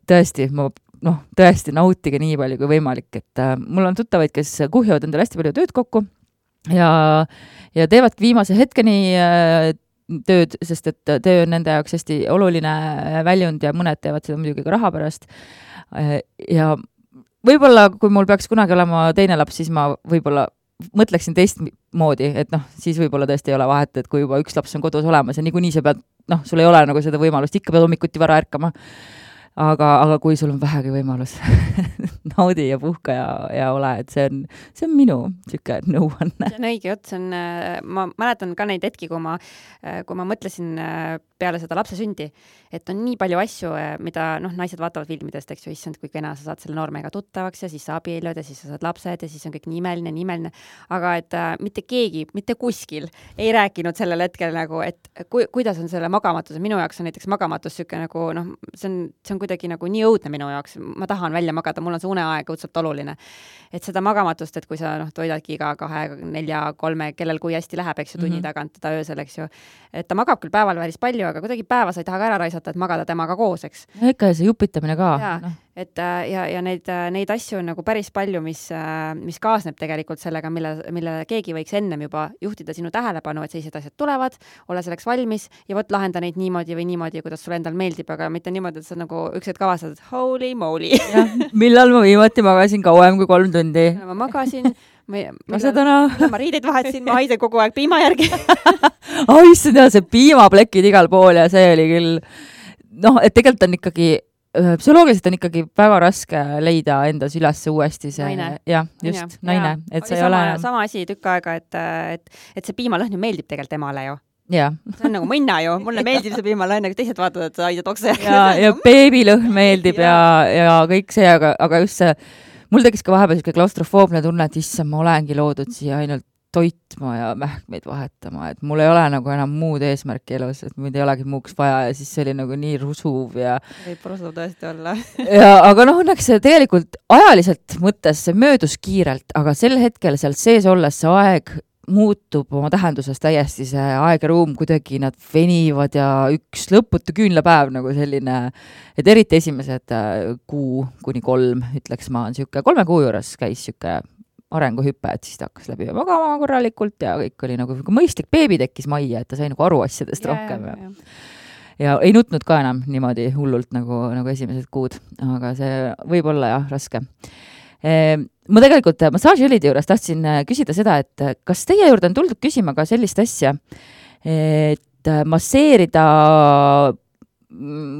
tõesti, tõesti nautige nii palju kui võimalik, et mul on tuttavaid, kes kuhjavad endale hästi palju tööd kokku ja teevad viimase hetkeni tööd, sest et töö on nende jaoks hästi oluline väljund ja mõned teevad seda muidugi ka raha pärast. Ja võib-olla, kui mul peaks kunagi olema teine laps, siis ma võib-olla mõtleksin teistmoodi, et siis võib-olla tõesti ei ole vahet, et kui juba üks laps on kodus olemas ja niikuinii sa pead, sul ei ole nagu seda võimalust, ikka pead hommikuti vara ärkama. Aga kui sul on vähegi võimalus, naudi ja puhka ja ole, et see on minu siuke nõuanne. See on õige jutt, ma mäletan ka neid hetki, kui ma mõtlesin peale seda lapse sündi, et on nii palju asju, mida naised vaatavad filmidest, eks ju, issand, kui kena sa saad selle noormega tuttavaks ja siis sa abiellud ja siis sa saad lapsed ja siis on kõik nii imeline. Aga et mitte keegi, mitte kuskil ei rääkinud sellel hetkel nagu, et kuidas on selle magamatus. Minu jaoks on näiteks magamatus siuke nagu, see on kuidagi nagu nii õudne minu jaoks. Ma tahan välja magada, mul on see uneaeg õudselt oluline. Et seda magamatust, et kui sa toidadki iga 2, 4, 3, kellel kui hästi läheb, eks ju, tunni tagant teda öösel, eks ju. Et ta magab küll päeval päris palju, aga kuidagi päeva sa ei taha ka ära raisata, et magada temaga koos, eks. Ikka see jupitamine ka. Et ja neid asju on nagu päris palju, mis kaasneb tegelikult sellega, mille keegi võiks ennem juba juhtida sinu tähelepanu, et sellised asjad tulevad, ole selleks valmis ja võt lahenda neid niimoodi või niimoodi, kuidas sulle endal meeldib, aga mitte niimoodi, et sa nagu üksed kavastad, et holy moly. Millal ma viimati magasin kauem kui 3 tundi? Ma magasin, ma riideid vahetasin, ma haisen kogu aeg piima järgi. Issand, see piimaplekid igal pool ja see oli küll, et tegelikult on ikkagi psühholoogiliselt on ikkagi väga raske leida endas üles uuesti see naine. Naine. Et see ei ole sama asi tükk aega, et see piimalõhn ju meeldib tegelikult emale ju. Ja. See on nagu minna ju, mulle meeldib see piimalõhn, aga teised vaatavad, et sa haidad okse. Ja beebilõhn meeldib ja kõik see, aga just see, mul tekkis ka vahepeal siuke klaustrofoobne tunne, et issand, ma olengi loodud siia ainult toitma ja mähkmeid vahetama, et mul ei ole nagu enam muud eesmärki elus, et mind ei olegi muuks vaja ja siis see oli nagu nii rusuv ja... Võib rusuv tõesti olla. Aga õnneks tegelikult ajaliselt mõttes see möödus kiirelt, aga sel hetkel seal sees olles see aeg muutub oma tähenduses täiesti see aeg ja ruum, kuidagi nad venivad ja üks lõputu küünlapäev nagu selline, et eriti esimesed 2-3, ütleks ma, on siuke 3 kuu juures käis siuke arenguhüpe, et siis ta hakkas läbi magama korralikult ja kõik oli nagu mõistlik beebi tekkis majja, et ta sai nagu aru asjadest rohkem ja ei nutnud ka enam niimoodi hullult nagu esimesed kuud, aga see võib olla jah, raske. Ma tegelikult massaažiõlide juures tahtsin küsida seda, et kas teie juurde on tuldud küsima ka sellist asja, et masseerida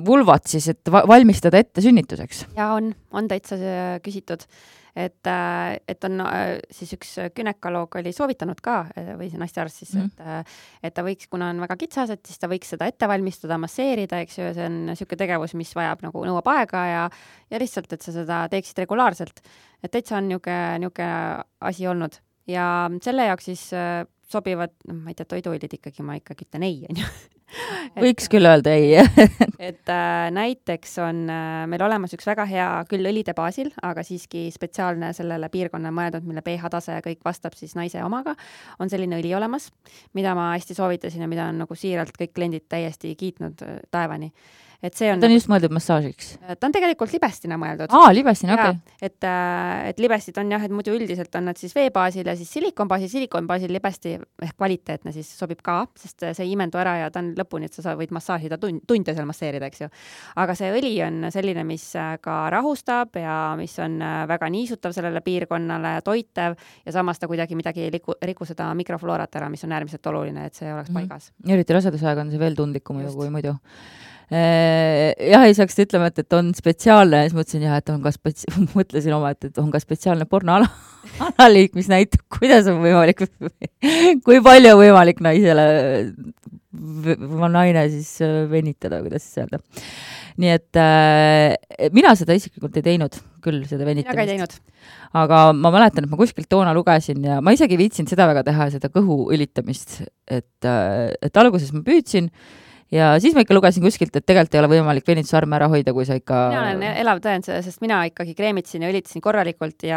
vulvat siis, et valmistada ette sünnituseks? Ja on täitsa küsitud. Et on siis üks gynekoloog oli soovitanud ka, või see naistearst siis, et ta võiks, kuna on väga kitsas, et siis ta võiks seda ette valmistada, masseerida, eks ju, see on siuke tegevus, mis vajab nagu nõuab aega ja lihtsalt, et sa seda teeksid regulaarselt. Et täitsa on niuke asi olnud. Ja selle jaoks siis sobivad, ma ei tea, toiduõlid ikkagi, ma ikkagi ütlen ei, on ju. Võiks küll öelda ei. et näiteks on meil olemas üks väga hea küll õlide baasil, aga siiski spetsiaalne sellele piirkonna mõeldud, mille pH-tase kõik vastab siis naise omaga, on selline õli olemas, mida ma hästi soovitasin ja mida on nagu siiralt kõik kliendid täiesti kiitnud taevani. Et see on ta on just mõeldud massaažiks? Ta on tegelikult libestina mõeldud. Libestina, okei. Et libestid on jah, et muidu üldiselt on nad siis veebaasil ja siis silikonbaasil libesti ehk kvaliteetne siis sobib ka, sest see ei imendu ära ja ta on lõpuni, et sa võid massaažida tunde seal masseerida, eks ju. Aga see õli on selline, mis ka rahustab ja mis on väga niisutav sellele piirkonnale, toitev ja samas ta kuidagi midagi ei riku seda mikrofloorat ära, mis on äärmiselt oluline, et see oleks paigas. Eriti rasedusaega on see veel tundlikum kui muidu. Jah, ei saaks ütlema, et on spetsiaalne, siis mõtlesin jah, et on ka mõtlesin oma, et on ka spetsiaalne pornoanaliik, mis näitab, kuidas on võimalik, kui palju on võimalik naine siis venitada, kuidas siis öelda. Nii et mina seda isiklikult ei teinud küll, seda venitamist. Mina ka ei teinud. Aga ma mäletan, et ma kuskilt toona lugesin ja ma isegi viitsin seda väga teha, seda kõhu õlitamist, et alguses ma püüdsin ja siis ma ikka lugesin kuskilt, et tegelikult ei ole võimalik venitusarme ära hoida, kui sa ikka... Mina olen elav tõend, sest mina ikkagi kreemitsin ja õlitasin korralikult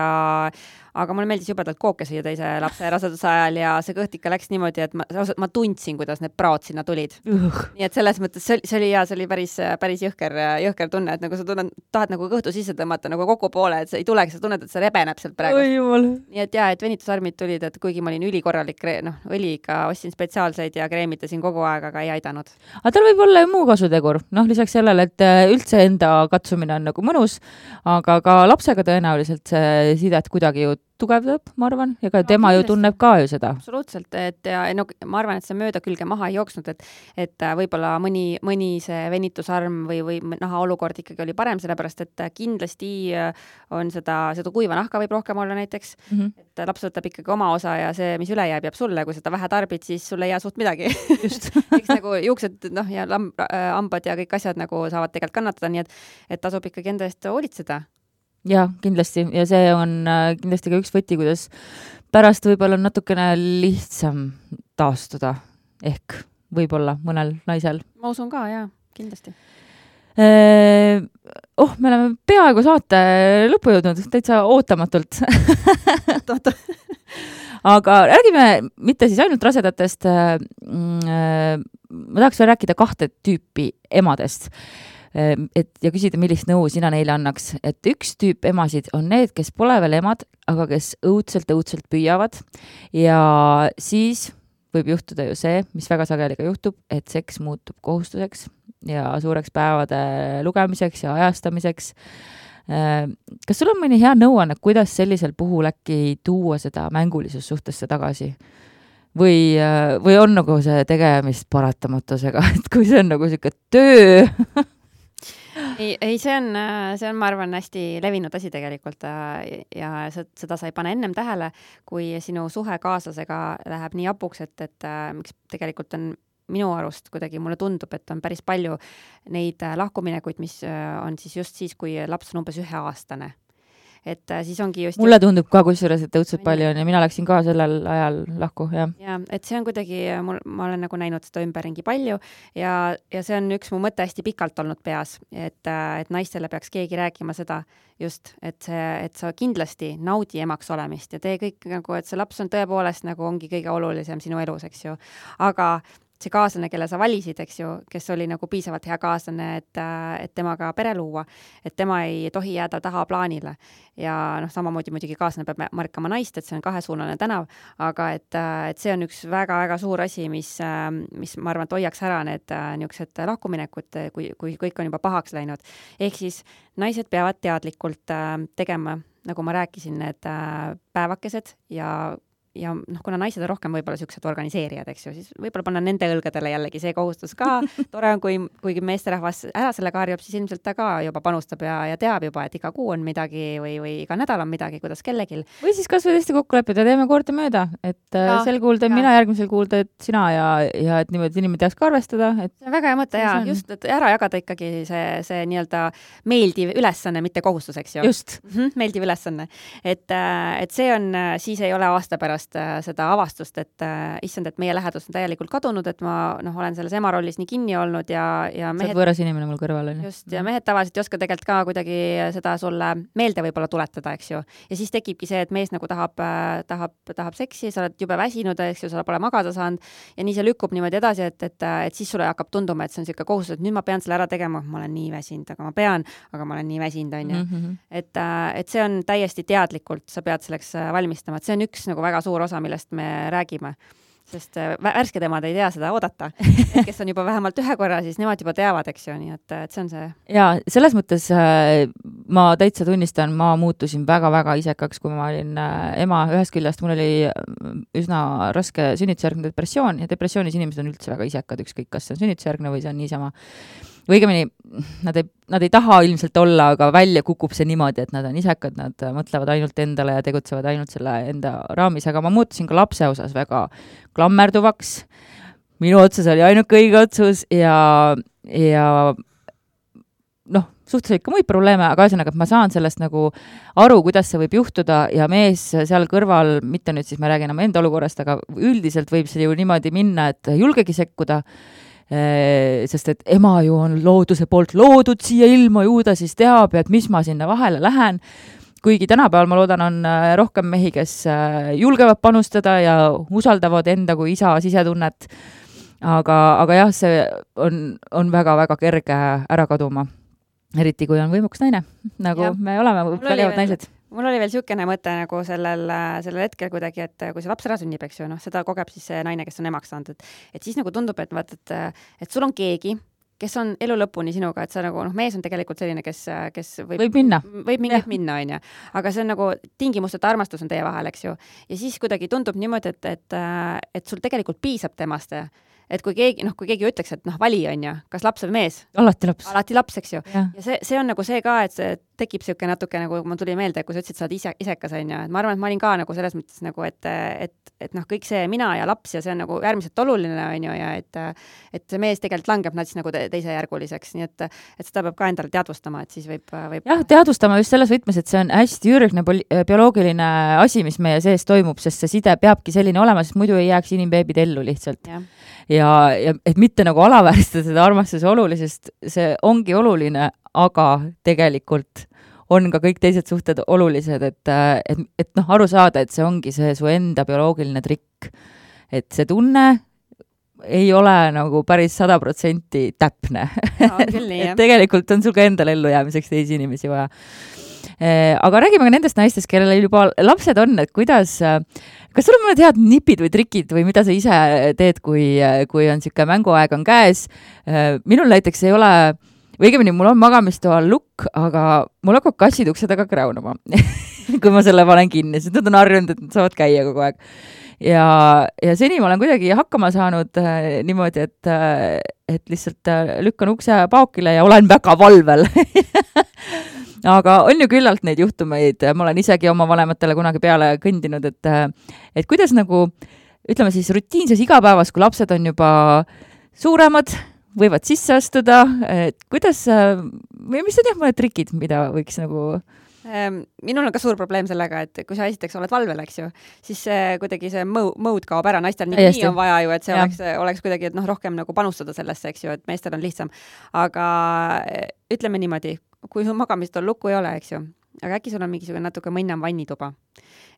aga mulle meeldis jubedalt kooke süüa teise lapse raseduse ajal ja see kõht ikka läks niimoodi, et ma tundsin, kuidas need praod sinna tulid. Nii et selles mõttes see oli päris jõhker tunne, et nagu sa tahad nagu kõhtu sisse tõmmata nagu kokku poole, et sa ei tulegi, sa tunned, et see rebeneb sealt praegu. Nii et et venitusarmid tulid, et kuigi ma olin ülikorralik õliga, ostsin spetsiaalseid ja kreemitasin kogu aeg, aga ei aidanud. Aga tal võib olla ju muu kasutegur, lisaks sellele, et üldse enda katsumine on nagu mõnus, aga ka lapsega tõenäoliselt see sidet kuidagi ju tugevdab, ma arvan, ja ka tema ju tunneb ka ju seda. Absoluutselt, ma arvan, et see mööda külge maha ei jooksnud, et võib-olla mõni see venitusarm või naha olukord ikkagi oli parem, sellepärast, et kindlasti on seda kuiva nahka võib rohkem olla näiteks, et laps võtab ikkagi oma osa ja see, mis üle jääb sulle, kui seda vähe tarbid, siis sulle ei jää suht midagi. Just. Eks nagu juuksed ja hambad ja kõik asjad nagu saavad tegelikult kannatada, nii et tasub ikkagi enda eest hoolitseda. Ja, kindlasti. Ja see on kindlasti ka üks võti, kuidas pärast võib-olla natukene lihtsam taastuda. Ehk võib-olla mõnel naisel. Ma usun ka, jah, kindlasti. Me oleme peaaegu saate lõppu jõudnud, täitsa ootamatult. Aga räägime mitte siis ainult rasedatest. Ma tahaks veel rääkida 2 tüüpi emadest. Ja küsida, millist nõu sina neile annaks. Et üks tüüp emasid on need, kes pole veel emad, aga kes õudselt püüavad ja siis võib juhtuda ju see, mis väga sageli ka juhtub, et seks muutub kohustuseks ja suureks päevade lugemiseks ja ajastamiseks. Kas sul on mõni hea nõuanne, kuidas sellisel puhul äkki tuua seda mängulisus suhtesse tagasi? Või on nagu see tegemist paratamatusega, et kui see on nagu siuke töö? Ei, see on, ma arvan, hästi levinud asi tegelikult ja seda sa ei pane ennem tähele, kui sinu suhe kaaslasega läheb nii apuks, et miks tegelikult on minu arust kuidagi mulle tundub, et on päris palju neid lahkuminekuid, mis on siis just siis, kui laps on umbes 1-aastane. et siis ongi just mulle tundub ka kusjuures, et õudselt palju on ja mina läksin ka sellel ajal lahku, jah. Ja, et see on kuidagi, ma olen nagu näinud seda ümberringi palju ja see on üks mu mõte hästi pikalt olnud peas, et naistele peaks keegi rääkima seda just, et sa kindlasti naudi emaks olemist ja tee kõik nagu, et see laps on tõepoolest nagu ongi kõige olulisem sinu elus, eks ju. Aga see kaaslane, kelle sa valisid, eks ju, kes oli nagu piisavalt hea kaaslane, et temaga pere luua, et tema ei tohi jääda taha plaanile. Ja samamoodi muidugi kaaslane peab märkama naist, et see on kahesuunaline tänav, aga et see on üks väga-väga suur asi, mis ma arvan, et hoiaks ära need niisugused lahkuminekud, kui kõik on juba pahaks läinud. Ehk siis naised peavad teadlikult tegema, nagu ma rääkisin, need päevakesed ja kuna naised on rohkem võib-olla siuksed organiseerijad, eks ju, siis võib-olla panna nende õlgadele jällegi see kohustus ka. Tore on, kui meesterahvas ära sellega harjub, siis ilmselt ta ka juba panustab ja teab juba, et iga kuu on midagi või iga nädal on midagi, kuidas kellegil. Või siis kas või tõesti kokku leppida, teeme kord mööda, et sel kuul teen mina, järgmisel kuul teed sina ja et niimoodi inimene teaks ka arvestada. See on väga hea mõte ja just, et ära jagada ikkagi see nii-öelda meeldiv ülesanne, mitte kohustus, eks ju. Just. Meeldiv ülesanne. Et see on, siis ei ole aasta pärast seda avastust, et issand, et meie lähedus on täielikult kadunud, et ma olen selles ema rollis nii kinni olnud ja mehed... Saad võõras inimene mul kõrval on. Just, ja mehed tavaliselt ei oska tegelikult ka kuidagi seda sulle meelde võib-olla tuletada, eks ju. Ja siis tekibki see, et mees nagu tahab seksi, sa oled jube väsinud, eks ju, sa pole magada saanud ja nii see lükkub niimoodi edasi, et siis sulle hakkab tunduma, et see on selline kohustus, et nüüd ma pean selle ära tegema, ma olen nii väsinud, aga ma olen nii väsinud, on ju. Et see on täiesti teadlikult, sa pead selleks valmistama, et see on üks nagu väga suur osa, millest me räägime. Sest värsked emad ei tea seda oodata. Kes on juba vähemalt ühe korra, siis nemad juba teavad, eks ju, nii et see on see. Ja selles mõttes ma täitsa tunnistan, ma muutusin väga-väga isekaks, kui ma olin ema. Ühest küljest mul oli üsna raske sünnitusjärgne depressioon ja depressioonis inimesed on üldse väga isekad, ükskõik kas see on sünnitusjärgne või see on niisama. Või õigemini, nad ei taha ilmselt olla, aga välja kukub see niimoodi, et nad on isekad, nad mõtlevad ainult endale ja tegutsevad ainult selle enda raamis, aga ma muutusin ka lapse osas väga klammerduvaks. Minu otsus oli ainuke õige otsus ja suhtes ikka muid probleeme, aga ühesõnaga, et ma saan sellest nagu aru, kuidas see võib juhtuda ja mees seal kõrval, mitte nüüd siis ma räägin enam enda olukorrast, aga üldiselt võib see ju niimoodi minna, et julgegi sekkuda, sest et ema ju on looduse poolt loodud siia ilma, ju ta siis teab, et mis ma sinna vahele lähen. Kuigi tänapäeval ma loodan on rohkem mehi, kes julgevad panustada ja usaldavad enda kui isa sisetunnet. Aga jah, see on väga-väga kerge ära kaduma. Eriti kui on võimuks naine, nagu ja. Me oleme vägevad naised. Mul oli veel siukene mõte nagu sellel hetkel kuidagi, et kui see laps ära sünnib, eks ju, seda kogeb siis see naine, kes on emaks saanud, et siis nagu tundub, et sul on keegi, kes on elu lõpuni sinuga, et sa nagu, mees on tegelikult selline, kes võib minna. Võib mingit minna, on ju. Aga see on nagu tingimusteta armastus on teie vahel, eks ju. Ja siis kuidagi tundub niimoodi, et sul tegelikult piisab temast. Et kui keegi ütleks, et vali on ju, kas laps või mees? Alati laps. Alati laps, eks ju. Ja see on nagu see ka, et see tekib siuke natuke nagu, ma tuli meelde, kui sa ütlesid, sa oled isekas, on ju. Et ma arvan, et ma olin ka nagu selles mõttes nagu, et kõik see mina ja laps ja see on nagu äärmiselt oluline, on ju, ja et see mees tegelikult langeb nad siis nagu teisejärguliseks, nii et seda peab ka endale teadvustama, et siis võib... Jah, teadvustama just selles võtmes, et see on hästi ürgne bioloogiline asi, mis meie sees toimub, sest see side peabki selline olema, sest muidu ei jääks inimbeebid ellu lihtsalt. Ja et mitte nagu alavääristada seda armastuse olulisest, see ongi oluline, aga tegelikult on ka kõik teised suhted olulised, et aru saada, et see ongi see su enda bioloogiline trikk. Et see tunne ei ole nagu päris 100% täpne. Et tegelikult on sul ka endal ellu jäämiseks teisi inimesi vaja. Aga räägime ka nendest naistest, kellel juba lapsed on, et kuidas, kas sul on mõned head nipid või trikid või mida sa ise teed, kui on siuke mänguaeg on käes? Minul näiteks ei ole, või õigemini mul on magamistoal lukk, aga mul hakkab kassid ukse taga kräunama, kui ma selle panen kinni, sest nad on harjunud, et nad saavad käia kogu aeg. Ja seni ma olen kuidagi hakkama saanud niimoodi, et lihtsalt lükkan ukse paokile ja olen väga valvel. Aga on ju küllalt neid juhtumeid, ma olen isegi oma vanematele kunagi peale kõndinud, et kuidas nagu, ütleme siis rutiinses igapäevas, kui lapsed on juba suuremad, võivad sisse astuda, et kuidas, või mis on mõned trikid, mida võiks nagu Minul on ka suur probleem sellega, et kui sa esiteks oled valvel, eks ju, siis kuidagi see mode kaob ära, naistel nii on vaja ju, et see oleks kuidagi, et rohkem nagu panustada sellesse, eks ju, et meestel on lihtsam. Aga ütleme niimoodi, kui sul magamist lukku ei ole, eks ju, aga äkki sul on mingisugune natuke mõnnam vannituba.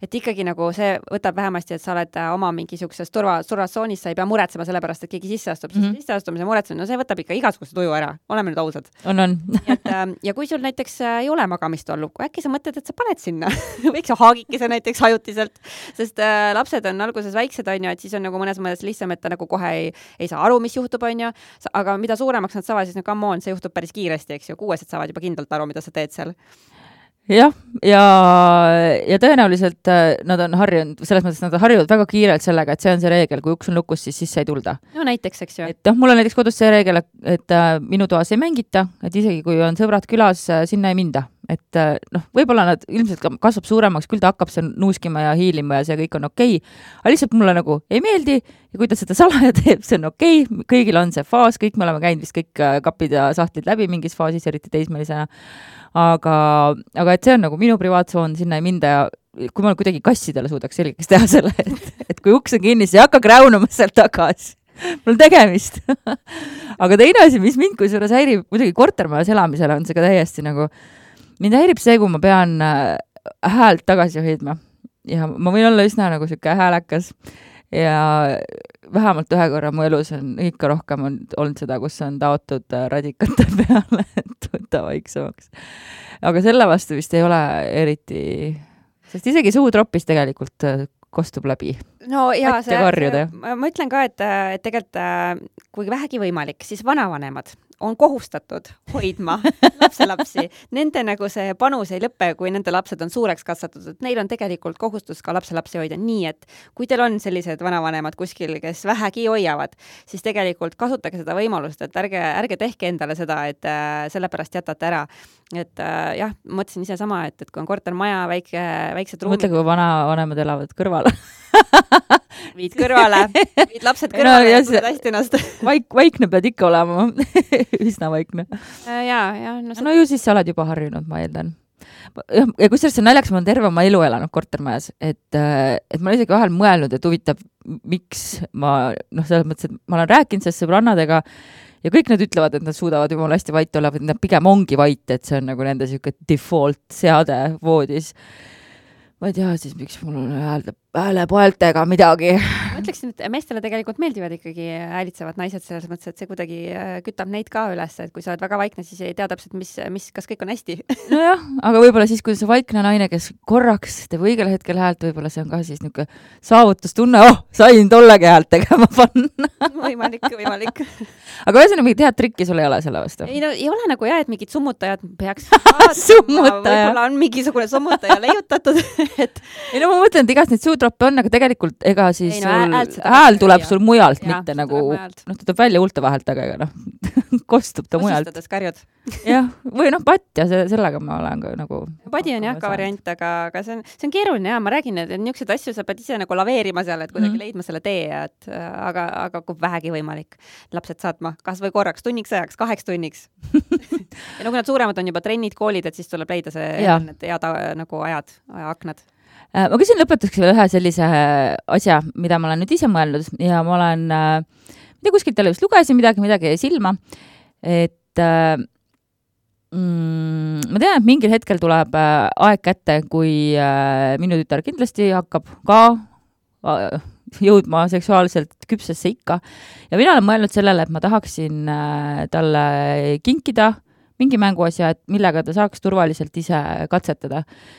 Et ikkagi nagu see võtab vähemasti, et sa oled oma mingisuguses turvatsoonis, sa ei pea muretsema selle pärast, et keegi sisse astub, siis sisse astumise muretsemine, no see võtab ikka igasuguse tuju ära, oleme nüüd ausad. On. Ja kui sul näiteks ei ole magamistolluku, äkki sa mõtled, et sa paned sinna, võiks ju haagikese näiteks ajutiselt, sest lapsed on alguses väiksed, on ju, et siis on nagu mõnes mõttes lihtsam, et ta nagu kohe ei saa aru, mis juhtub, on ju, aga mida suuremaks nad saavad, siis no come on, see juhtub päris kiiresti, eks ju, 6 saavad juba kindlalt aru, mida sa teed seal. Jah, ja tõenäoliselt nad on harjunud, selles mõttes nad harjuvad väga kiirelt sellega, et see on see reegel, kui uks on lukus, siis sisse ei tulda. No näiteks, eks ju. Et mul on näiteks kodus see reegel, et minu toas ei mängita, et isegi kui on sõbrad külas, sinna ei minda. Et võib-olla nad ilmselt kasvab suuremaks, küll ta hakkab seal nuuskima ja hiilima ja see kõik on okei. Aga lihtsalt mulle nagu ei meeldi ja kui ta seda salaja teeb, see on okei. Kõigil on see faas, kõik me oleme käinud vist kõik kapid ja sahtlid läbi mingis faasis, eriti teismelisena. Aga et see on nagu minu privaatsoon, sinna ei minda ja kui ma kuidagi kassidele suudaks selgeks teha selle, et kui uks on kinni, siis ei hakka kräunuma sealt tagasi. Mul on tegemist. Aga teine asi, mis mind kusjuures häirib, muidugi kortermajas elamisele on see ka täiesti nagu, mind häirib see, kui ma pean häält tagasi hoidma. Ja ma võin olla üsna nagu siuke häälekas ja vähemalt ühe korra mu elus on ikka rohkem olnud seda, kus on taotud radikate peale, et võtta vaiksemaks. Aga selle vastu vist ei ole eriti, sest isegi suutropis tegelikult kostub läbi. No ja ma ütlen ka, et tegelikult kui vähegi võimalik, siis vanavanemad on kohustatud hoidma lapselapsi. Nende nagu see panus ei lõppe, kui nende lapsed on suureks kasvatatud. Neil on tegelikult kohustus ka lapselapsi hoida. Nii, et kui teil on sellised vanavanemad kuskil, kes vähegi hoiavad, siis tegelikult kasutage seda võimalust, et ärge tehke endale seda, et sellepärast jätate ära. Et jah, mõtlesin ise sama, et kui on kortermaja, väiksed ruumid. Mõtle, kui vanavanemad elavad kõrvale. Viid kõrvale, viid lapsed kõrvale ja tuled hästi ennast. Vaikne pead ikka olema. Üsna vaikne. No ju siis sa oled juba harjunud, ma eeldan. Ja kusjuures see naljaks, ma olen terve oma elu elanud kortermajas, et ma olen isegi vahel mõelnud, et huvitav, miks ma, selles mõttes, et ma olen rääkinud sellest sõbrannadega ja kõik nad ütlevad, et nad suudavad jumala hästi vait olla, või nad pigem ongi vait, et see on nagu nende siuke default seade voodis. Ma ei tea siis, miks mul on häälepoeltega midagi. Ma ütleksin, et meestele tegelikult meeldivad ikkagi häälitsevad naised selles mõttes, et see kuidagi kütab neid ka üles, et kui sa oled väga vaikne, siis ei tea täpselt, kas kõik on hästi. Nojah, aga võib-olla siis, kui see vaikne naine, kes korraks teeb õigel hetkel häält, võib-olla see on ka siis niisugune saavutustunne, sain tollegi häält tegema panna. Võimalik. Aga ühesõnaga mingit head trikki sul ei ole selle vastu? Ei ole nagu jah, et mingid summutajad peaks võib-olla on mingisugune summutaja leiutatud. Ei no ma mõtlen, et igast neid suutroppe on, aga tegelikult ega siis hääl tuleb sul mujalt, mitte nagu, ta tuleb välja huulte vahelt, aga kostub ta mujalt. Osistades karjud. Jah, või patt ja sellega ma olen ka nagu... Padi on jah ka variant, aga see on keeruline ja ma räägin, et niisuguseid asju sa pead ise nagu laveerima seal, et kuidagi leidma selle tee, aga kui vähegi võimalik lapsed saatma, kas või korraks, tunniks ajaks, 2 tunniks. Ja kui nad suuremad on juba trennid, koolid, et siis tuleb leida need head nagu aknad. Ma küsin lõpetuseks veel ühe sellise asja, mida ma olen nüüd ise mõelnud ja ma olen, mida kuskilt jälle just lugesin midagi silma, et ma tean, et mingil hetkel tuleb aeg kätte, kui minu tütar kindlasti hakkab ka jõudma seksuaalselt küpsesse ikka ja mina olen mõelnud sellele, et ma tahaksin talle kinkida mingi mänguasja, et millega ta saaks turvaliselt ise katsetada.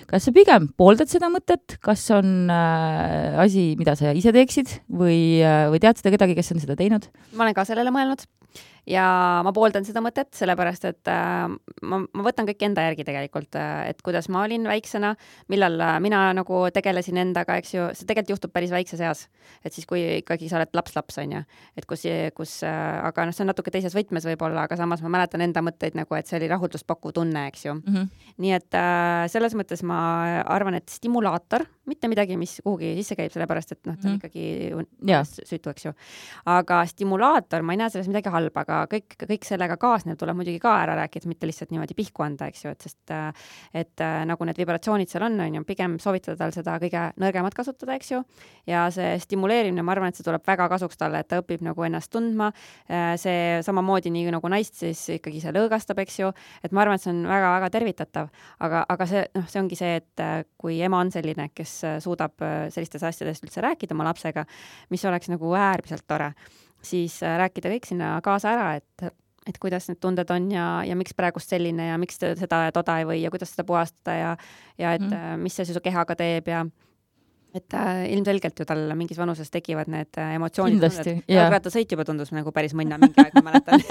Kas sa pigem pooldad seda mõtet? Kas on asi, mida sa ise teeksid? Või tead seda kedagi, kes on seda teinud? Ma olen ka sellele mõelnud ja ma pooldan seda mõtet, sellepärast, et ma võtan kõik enda järgi tegelikult, et kuidas ma olin väiksena, millal mina nagu tegelesin endaga, eks ju, see tegelikult juhtub päris väikses eas. Et siis, kui ikkagi sa oled laps, on ju, et aga see on natuke teises võtmes võib-olla, aga samas ma mäletan enda mõtteid nagu, et see oli rahulduspakkuv tunne, eks ju. Nii et selles mõttes ma arvan, et stimulaator, mitte midagi, mis kuhugi sisse käib, sellepärast, et ta on ikkagi süütu, eks ju. Aga stimulaator, ma ei näe selles midagi halba. halb, aga kõik sellega kaasnev tuleb muidugi ka ära rääkida, mitte lihtsalt niimoodi pihku anda, eks ju, et nagu need vibratsioonid seal on ju, pigem soovitada tal seda kõige nõrgemat kasutada, eks ju, ja see stimuleerimine, ma arvan, et see tuleb väga kasuks talle, et ta õpib nagu ennast tundma, see samamoodi nii nagu naist siis ikkagi see lõõgastab, eks ju, et ma arvan, et see on väga-väga tervitatav, aga see, see ongi see, et kui ema on selline, kes suudab sellistest asjadest üldse rääkida oma lapsega, mis oleks nagu äärmiselt tore, siis rääkida kõik sinna kaasa ära, et kuidas need tunded on ja miks praegust selline ja miks seda ja toda ei või ja kuidas seda puhastada ja et mis see su kehaga teeb ja et ilmselgelt ju tal mingis vanuses tekivad need emotsioonid. Kindlasti, jalgrattasõit juba tundus nagu päris mõnna mingi aeg, ma mäletan.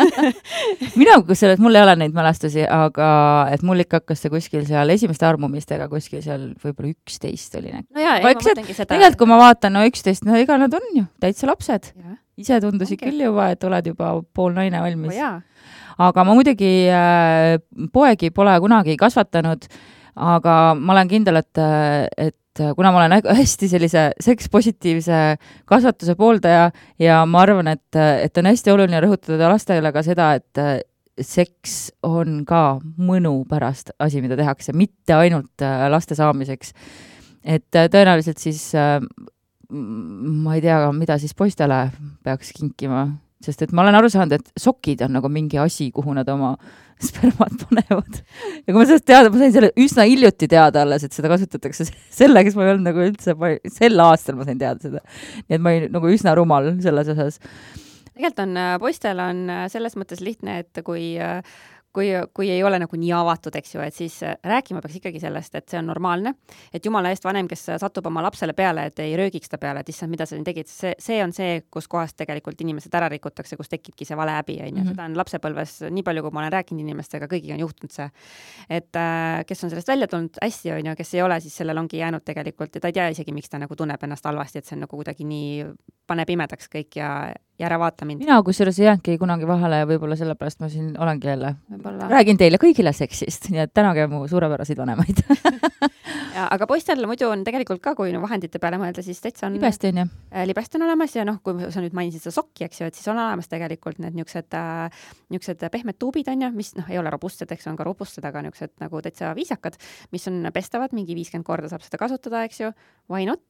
Mina, kusjuures mul ei ole neid mälestusi, aga et mul ikka hakkas see kuskil seal esimeste armumistega kuskil seal võib-olla 11 oli. No jaa, ma mõtlengi seda. Tegelikult, kui ma vaatan, no 11, no ega nad on ju täitsa lapsed. Ise tundusid küll juba, et oled juba pool naine valmis. Aga ma muidugi poegi pole kunagi kasvatanud, aga ma olen kindel, et kuna ma olen hästi sellise sekspositiivse kasvatuse pooldaja ja ma arvan, et on hästi oluline rõhutada lastele ka seda, et seks on ka mõnu pärast asi, mida tehakse, mitte ainult laste saamiseks. Et tõenäoliselt siis ma ei tea, mida siis poistele peaks kinkima, sest et ma olen aru saanud, et sokid on nagu mingi asi, kuhu nad oma spermad panevad. Ja kui ma sellest teada, ma sain selle üsna hiljuti teada alles, et seda kasutatakse selleks, ma ei olnud nagu üldse, sel aastal ma sain teada seda. Nii et ma olin nagu üsna rumal selles osas. Tegelikult on, poistel on selles mõttes lihtne, et kui ei ole nagu nii avatud, eks ju, et siis rääkima peaks ikkagi sellest, et see on normaalne, et jumala eest vanem, kes satub oma lapsele peale, et ei röögiks ta peale, et issand, mida sa tegid, see on see, kus kohast tegelikult inimesed ära rikutakse, kus tekibki see vale häbi, ja seda on lapsepõlves, nii palju, kui ma olen rääkinud inimestega, kõigiga on juhtunud see, et kes on sellest välja tulnud hästi, on ju, kes ei ole, siis sellel ongi jäänud tegelikult, ja ta ei tea isegi, miks ta nagu tunneb ennast halvasti, et see on nagu kuidagi nii paneb imedaks kõik ja ära vaata mind. Mina kusjuures ei jäänudki kunagi vahele ja võib-olla sellepärast ma siin olengi jälle. Räägin teile kõigile seksist, nii et tänage mu suurepäraseid vanemaid. Aga poistel muidu on tegelikult ka, kui vahendite peale mõelda, siis täitsa on libest on olemas ja kui sa nüüd mainisid seda sokki, eks ju, et siis on olemas tegelikult need niisugused pehmed tuubid on ju, mis ei ole robustsed, eks on ka robustsed, aga niisugused nagu täitsa viisakad, mis on pestavad, mingi 50 korda saab seda kasutada, eks ju, why not?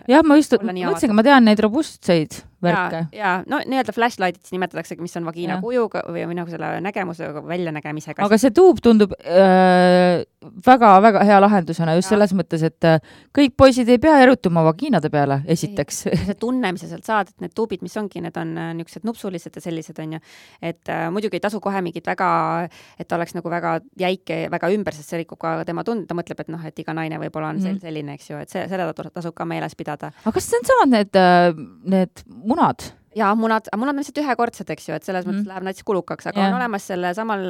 Jah, ma just mõtlesin, ma tean neid robustseid värke. Ja no nii-öelda flashlight'id nimetatakse, mis on vagiina kujuga või nagu selle nägemusega, väljanägemisega. Aga see tuub tundub väga-väga hea lahendusena just selles mõttes, et kõik poisid ei pea erutuma vagiinade peale, esiteks. See tunne, mis sa sealt saad, et need tuubid, mis ongi, need on niisugused nupsulised ja sellised on ju, et muidugi ei tasu kohe mingit väga, et oleks nagu väga jäike, väga ümber, sest see rikub ka tema tund, ta mõtleb, et et iga naine võib-olla on selline, eks ju, et seda tasub ka meeles pidada. Aga kas see on samad need munad? Jaa, munad on lihtsalt ühekordsed, eks ju, et selles mõttes läheb näiteks kulukaks, aga on olemas selle samal,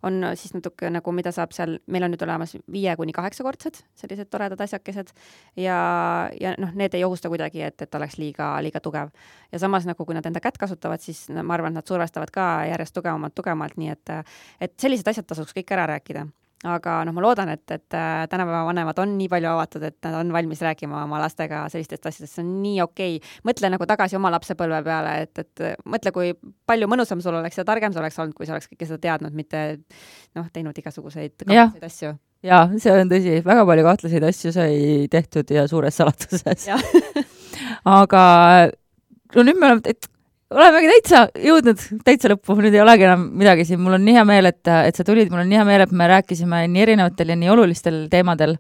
on siis natuke nagu, mida saab seal, meil on nüüd olemas 5-8-kordsed, sellised toredad asjakesed ja need ei ohusta kuidagi, et oleks liiga tugev. Ja samas nagu, kui nad enda kätt kasutavad, siis ma arvan, et nad survestavad ka järjest tugevamalt, nii et sellised asjad tasuks kõik ära rääkida. Aga ma loodan, et tänapäeva vanemad on nii palju avatud, et nad on valmis rääkima oma lastega sellistest asjadest, see on nii okei. Mõtle nagu tagasi oma lapsepõlve peale, et mõtle, kui palju mõnusam sul oleks ja targem sul oleks olnud, kui sa oleks kõike seda teadnud, mitte teinud igasuguseid kahtlaseid asju. Jaa, see on tõsi, väga palju kahtlaseid asju sai tehtud ja suures salatuses. Aga nüüd me olemegi täitsa lõppu, nüüd ei olegi enam midagi siin, mul on nii hea meel, et sa tulid, mul on nii hea meel, et me rääkisime nii erinevatel ja nii olulistel teemadel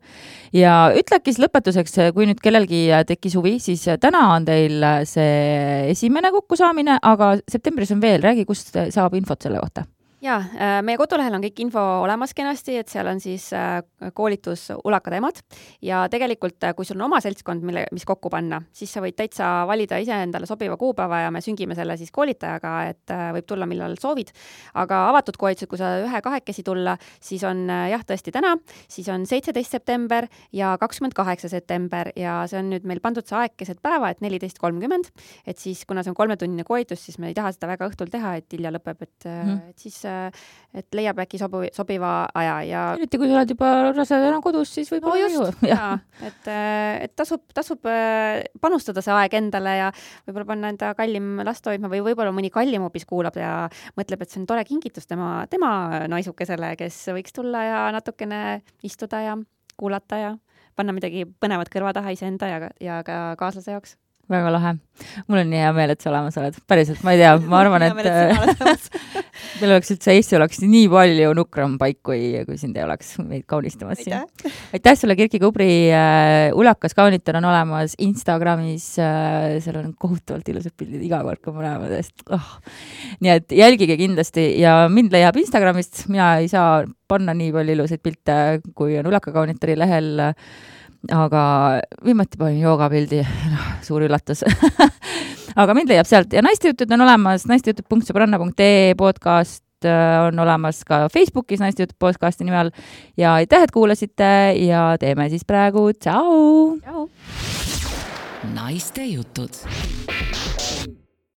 ja ütlekis lõpetuseks, kui nüüd kellelgi tekkis huvi, siis täna on teil see esimene kokkusaamine, aga septembris on veel, räägi, kust saab infot selle kohta? Jaa, meie kodulehel on kõik info olemas kenasti, et seal on siis koolitus ulakad emad ja tegelikult, kui sul on oma seltskond, mis kokku panna, siis sa võid täitsa valida ise endale sobiva kuupäeva ja me süngime selle siis koolitajaga, et võib tulla, millal soovid. Aga avatud koolitused, kui sa 1-2 tulla, siis on tõesti täna, siis on 17. september ja 28. september ja see on nüüd meil pandud see aeg keset päeva, et 14:30, et siis kuna see on 3-tunnine koolitus, siis me ei taha seda väga õhtul teha, et hilja lõpeb, et siis et leiab äkki sobiva aja ja eriti kui sa oled juba rasedana kodus, siis võib-olla et tasub panustada see aeg endale ja võib-olla panna enda kallim last hoidma või võib-olla mõni kallim hoopis kuulab ja mõtleb, et see on tore kingitus tema naisukesele, kes võiks tulla ja natukene istuda ja kuulata ja panna midagi põnevat kõrva taha iseenda ja ka kaaslase jaoks. Väga lahe. Mul on nii hea meel, et sa olemas oled. Päriselt, ma ei tea, ma arvan, et meil oleks üldse Eesti oleks nii palju nukram paik, kui sind ei oleks meid kaunistamas siin. Aitäh sulle, Kirki Kubri. Ulakas kaunitar on olemas Instagramis. Seal on kohutavalt ilusad pildid iga kord, kui ma näeme tõest. Nii et jälgige kindlasti ja mind leiab Instagramist. Mina ei saa panna nii palju ilusaid pilte, kui on Ulaka kaunitari lehel. Aga viimati panin joogapildi, suur üllatus. Aga mind leiab sealt ja naistejutud on olemas, naistejutud.sõbranna.ee podcast on olemas ka Facebookis naistejutud podcasti nimel ja aitäh, et kuulasite ja teeme siis praegu tšau! Naistejutud.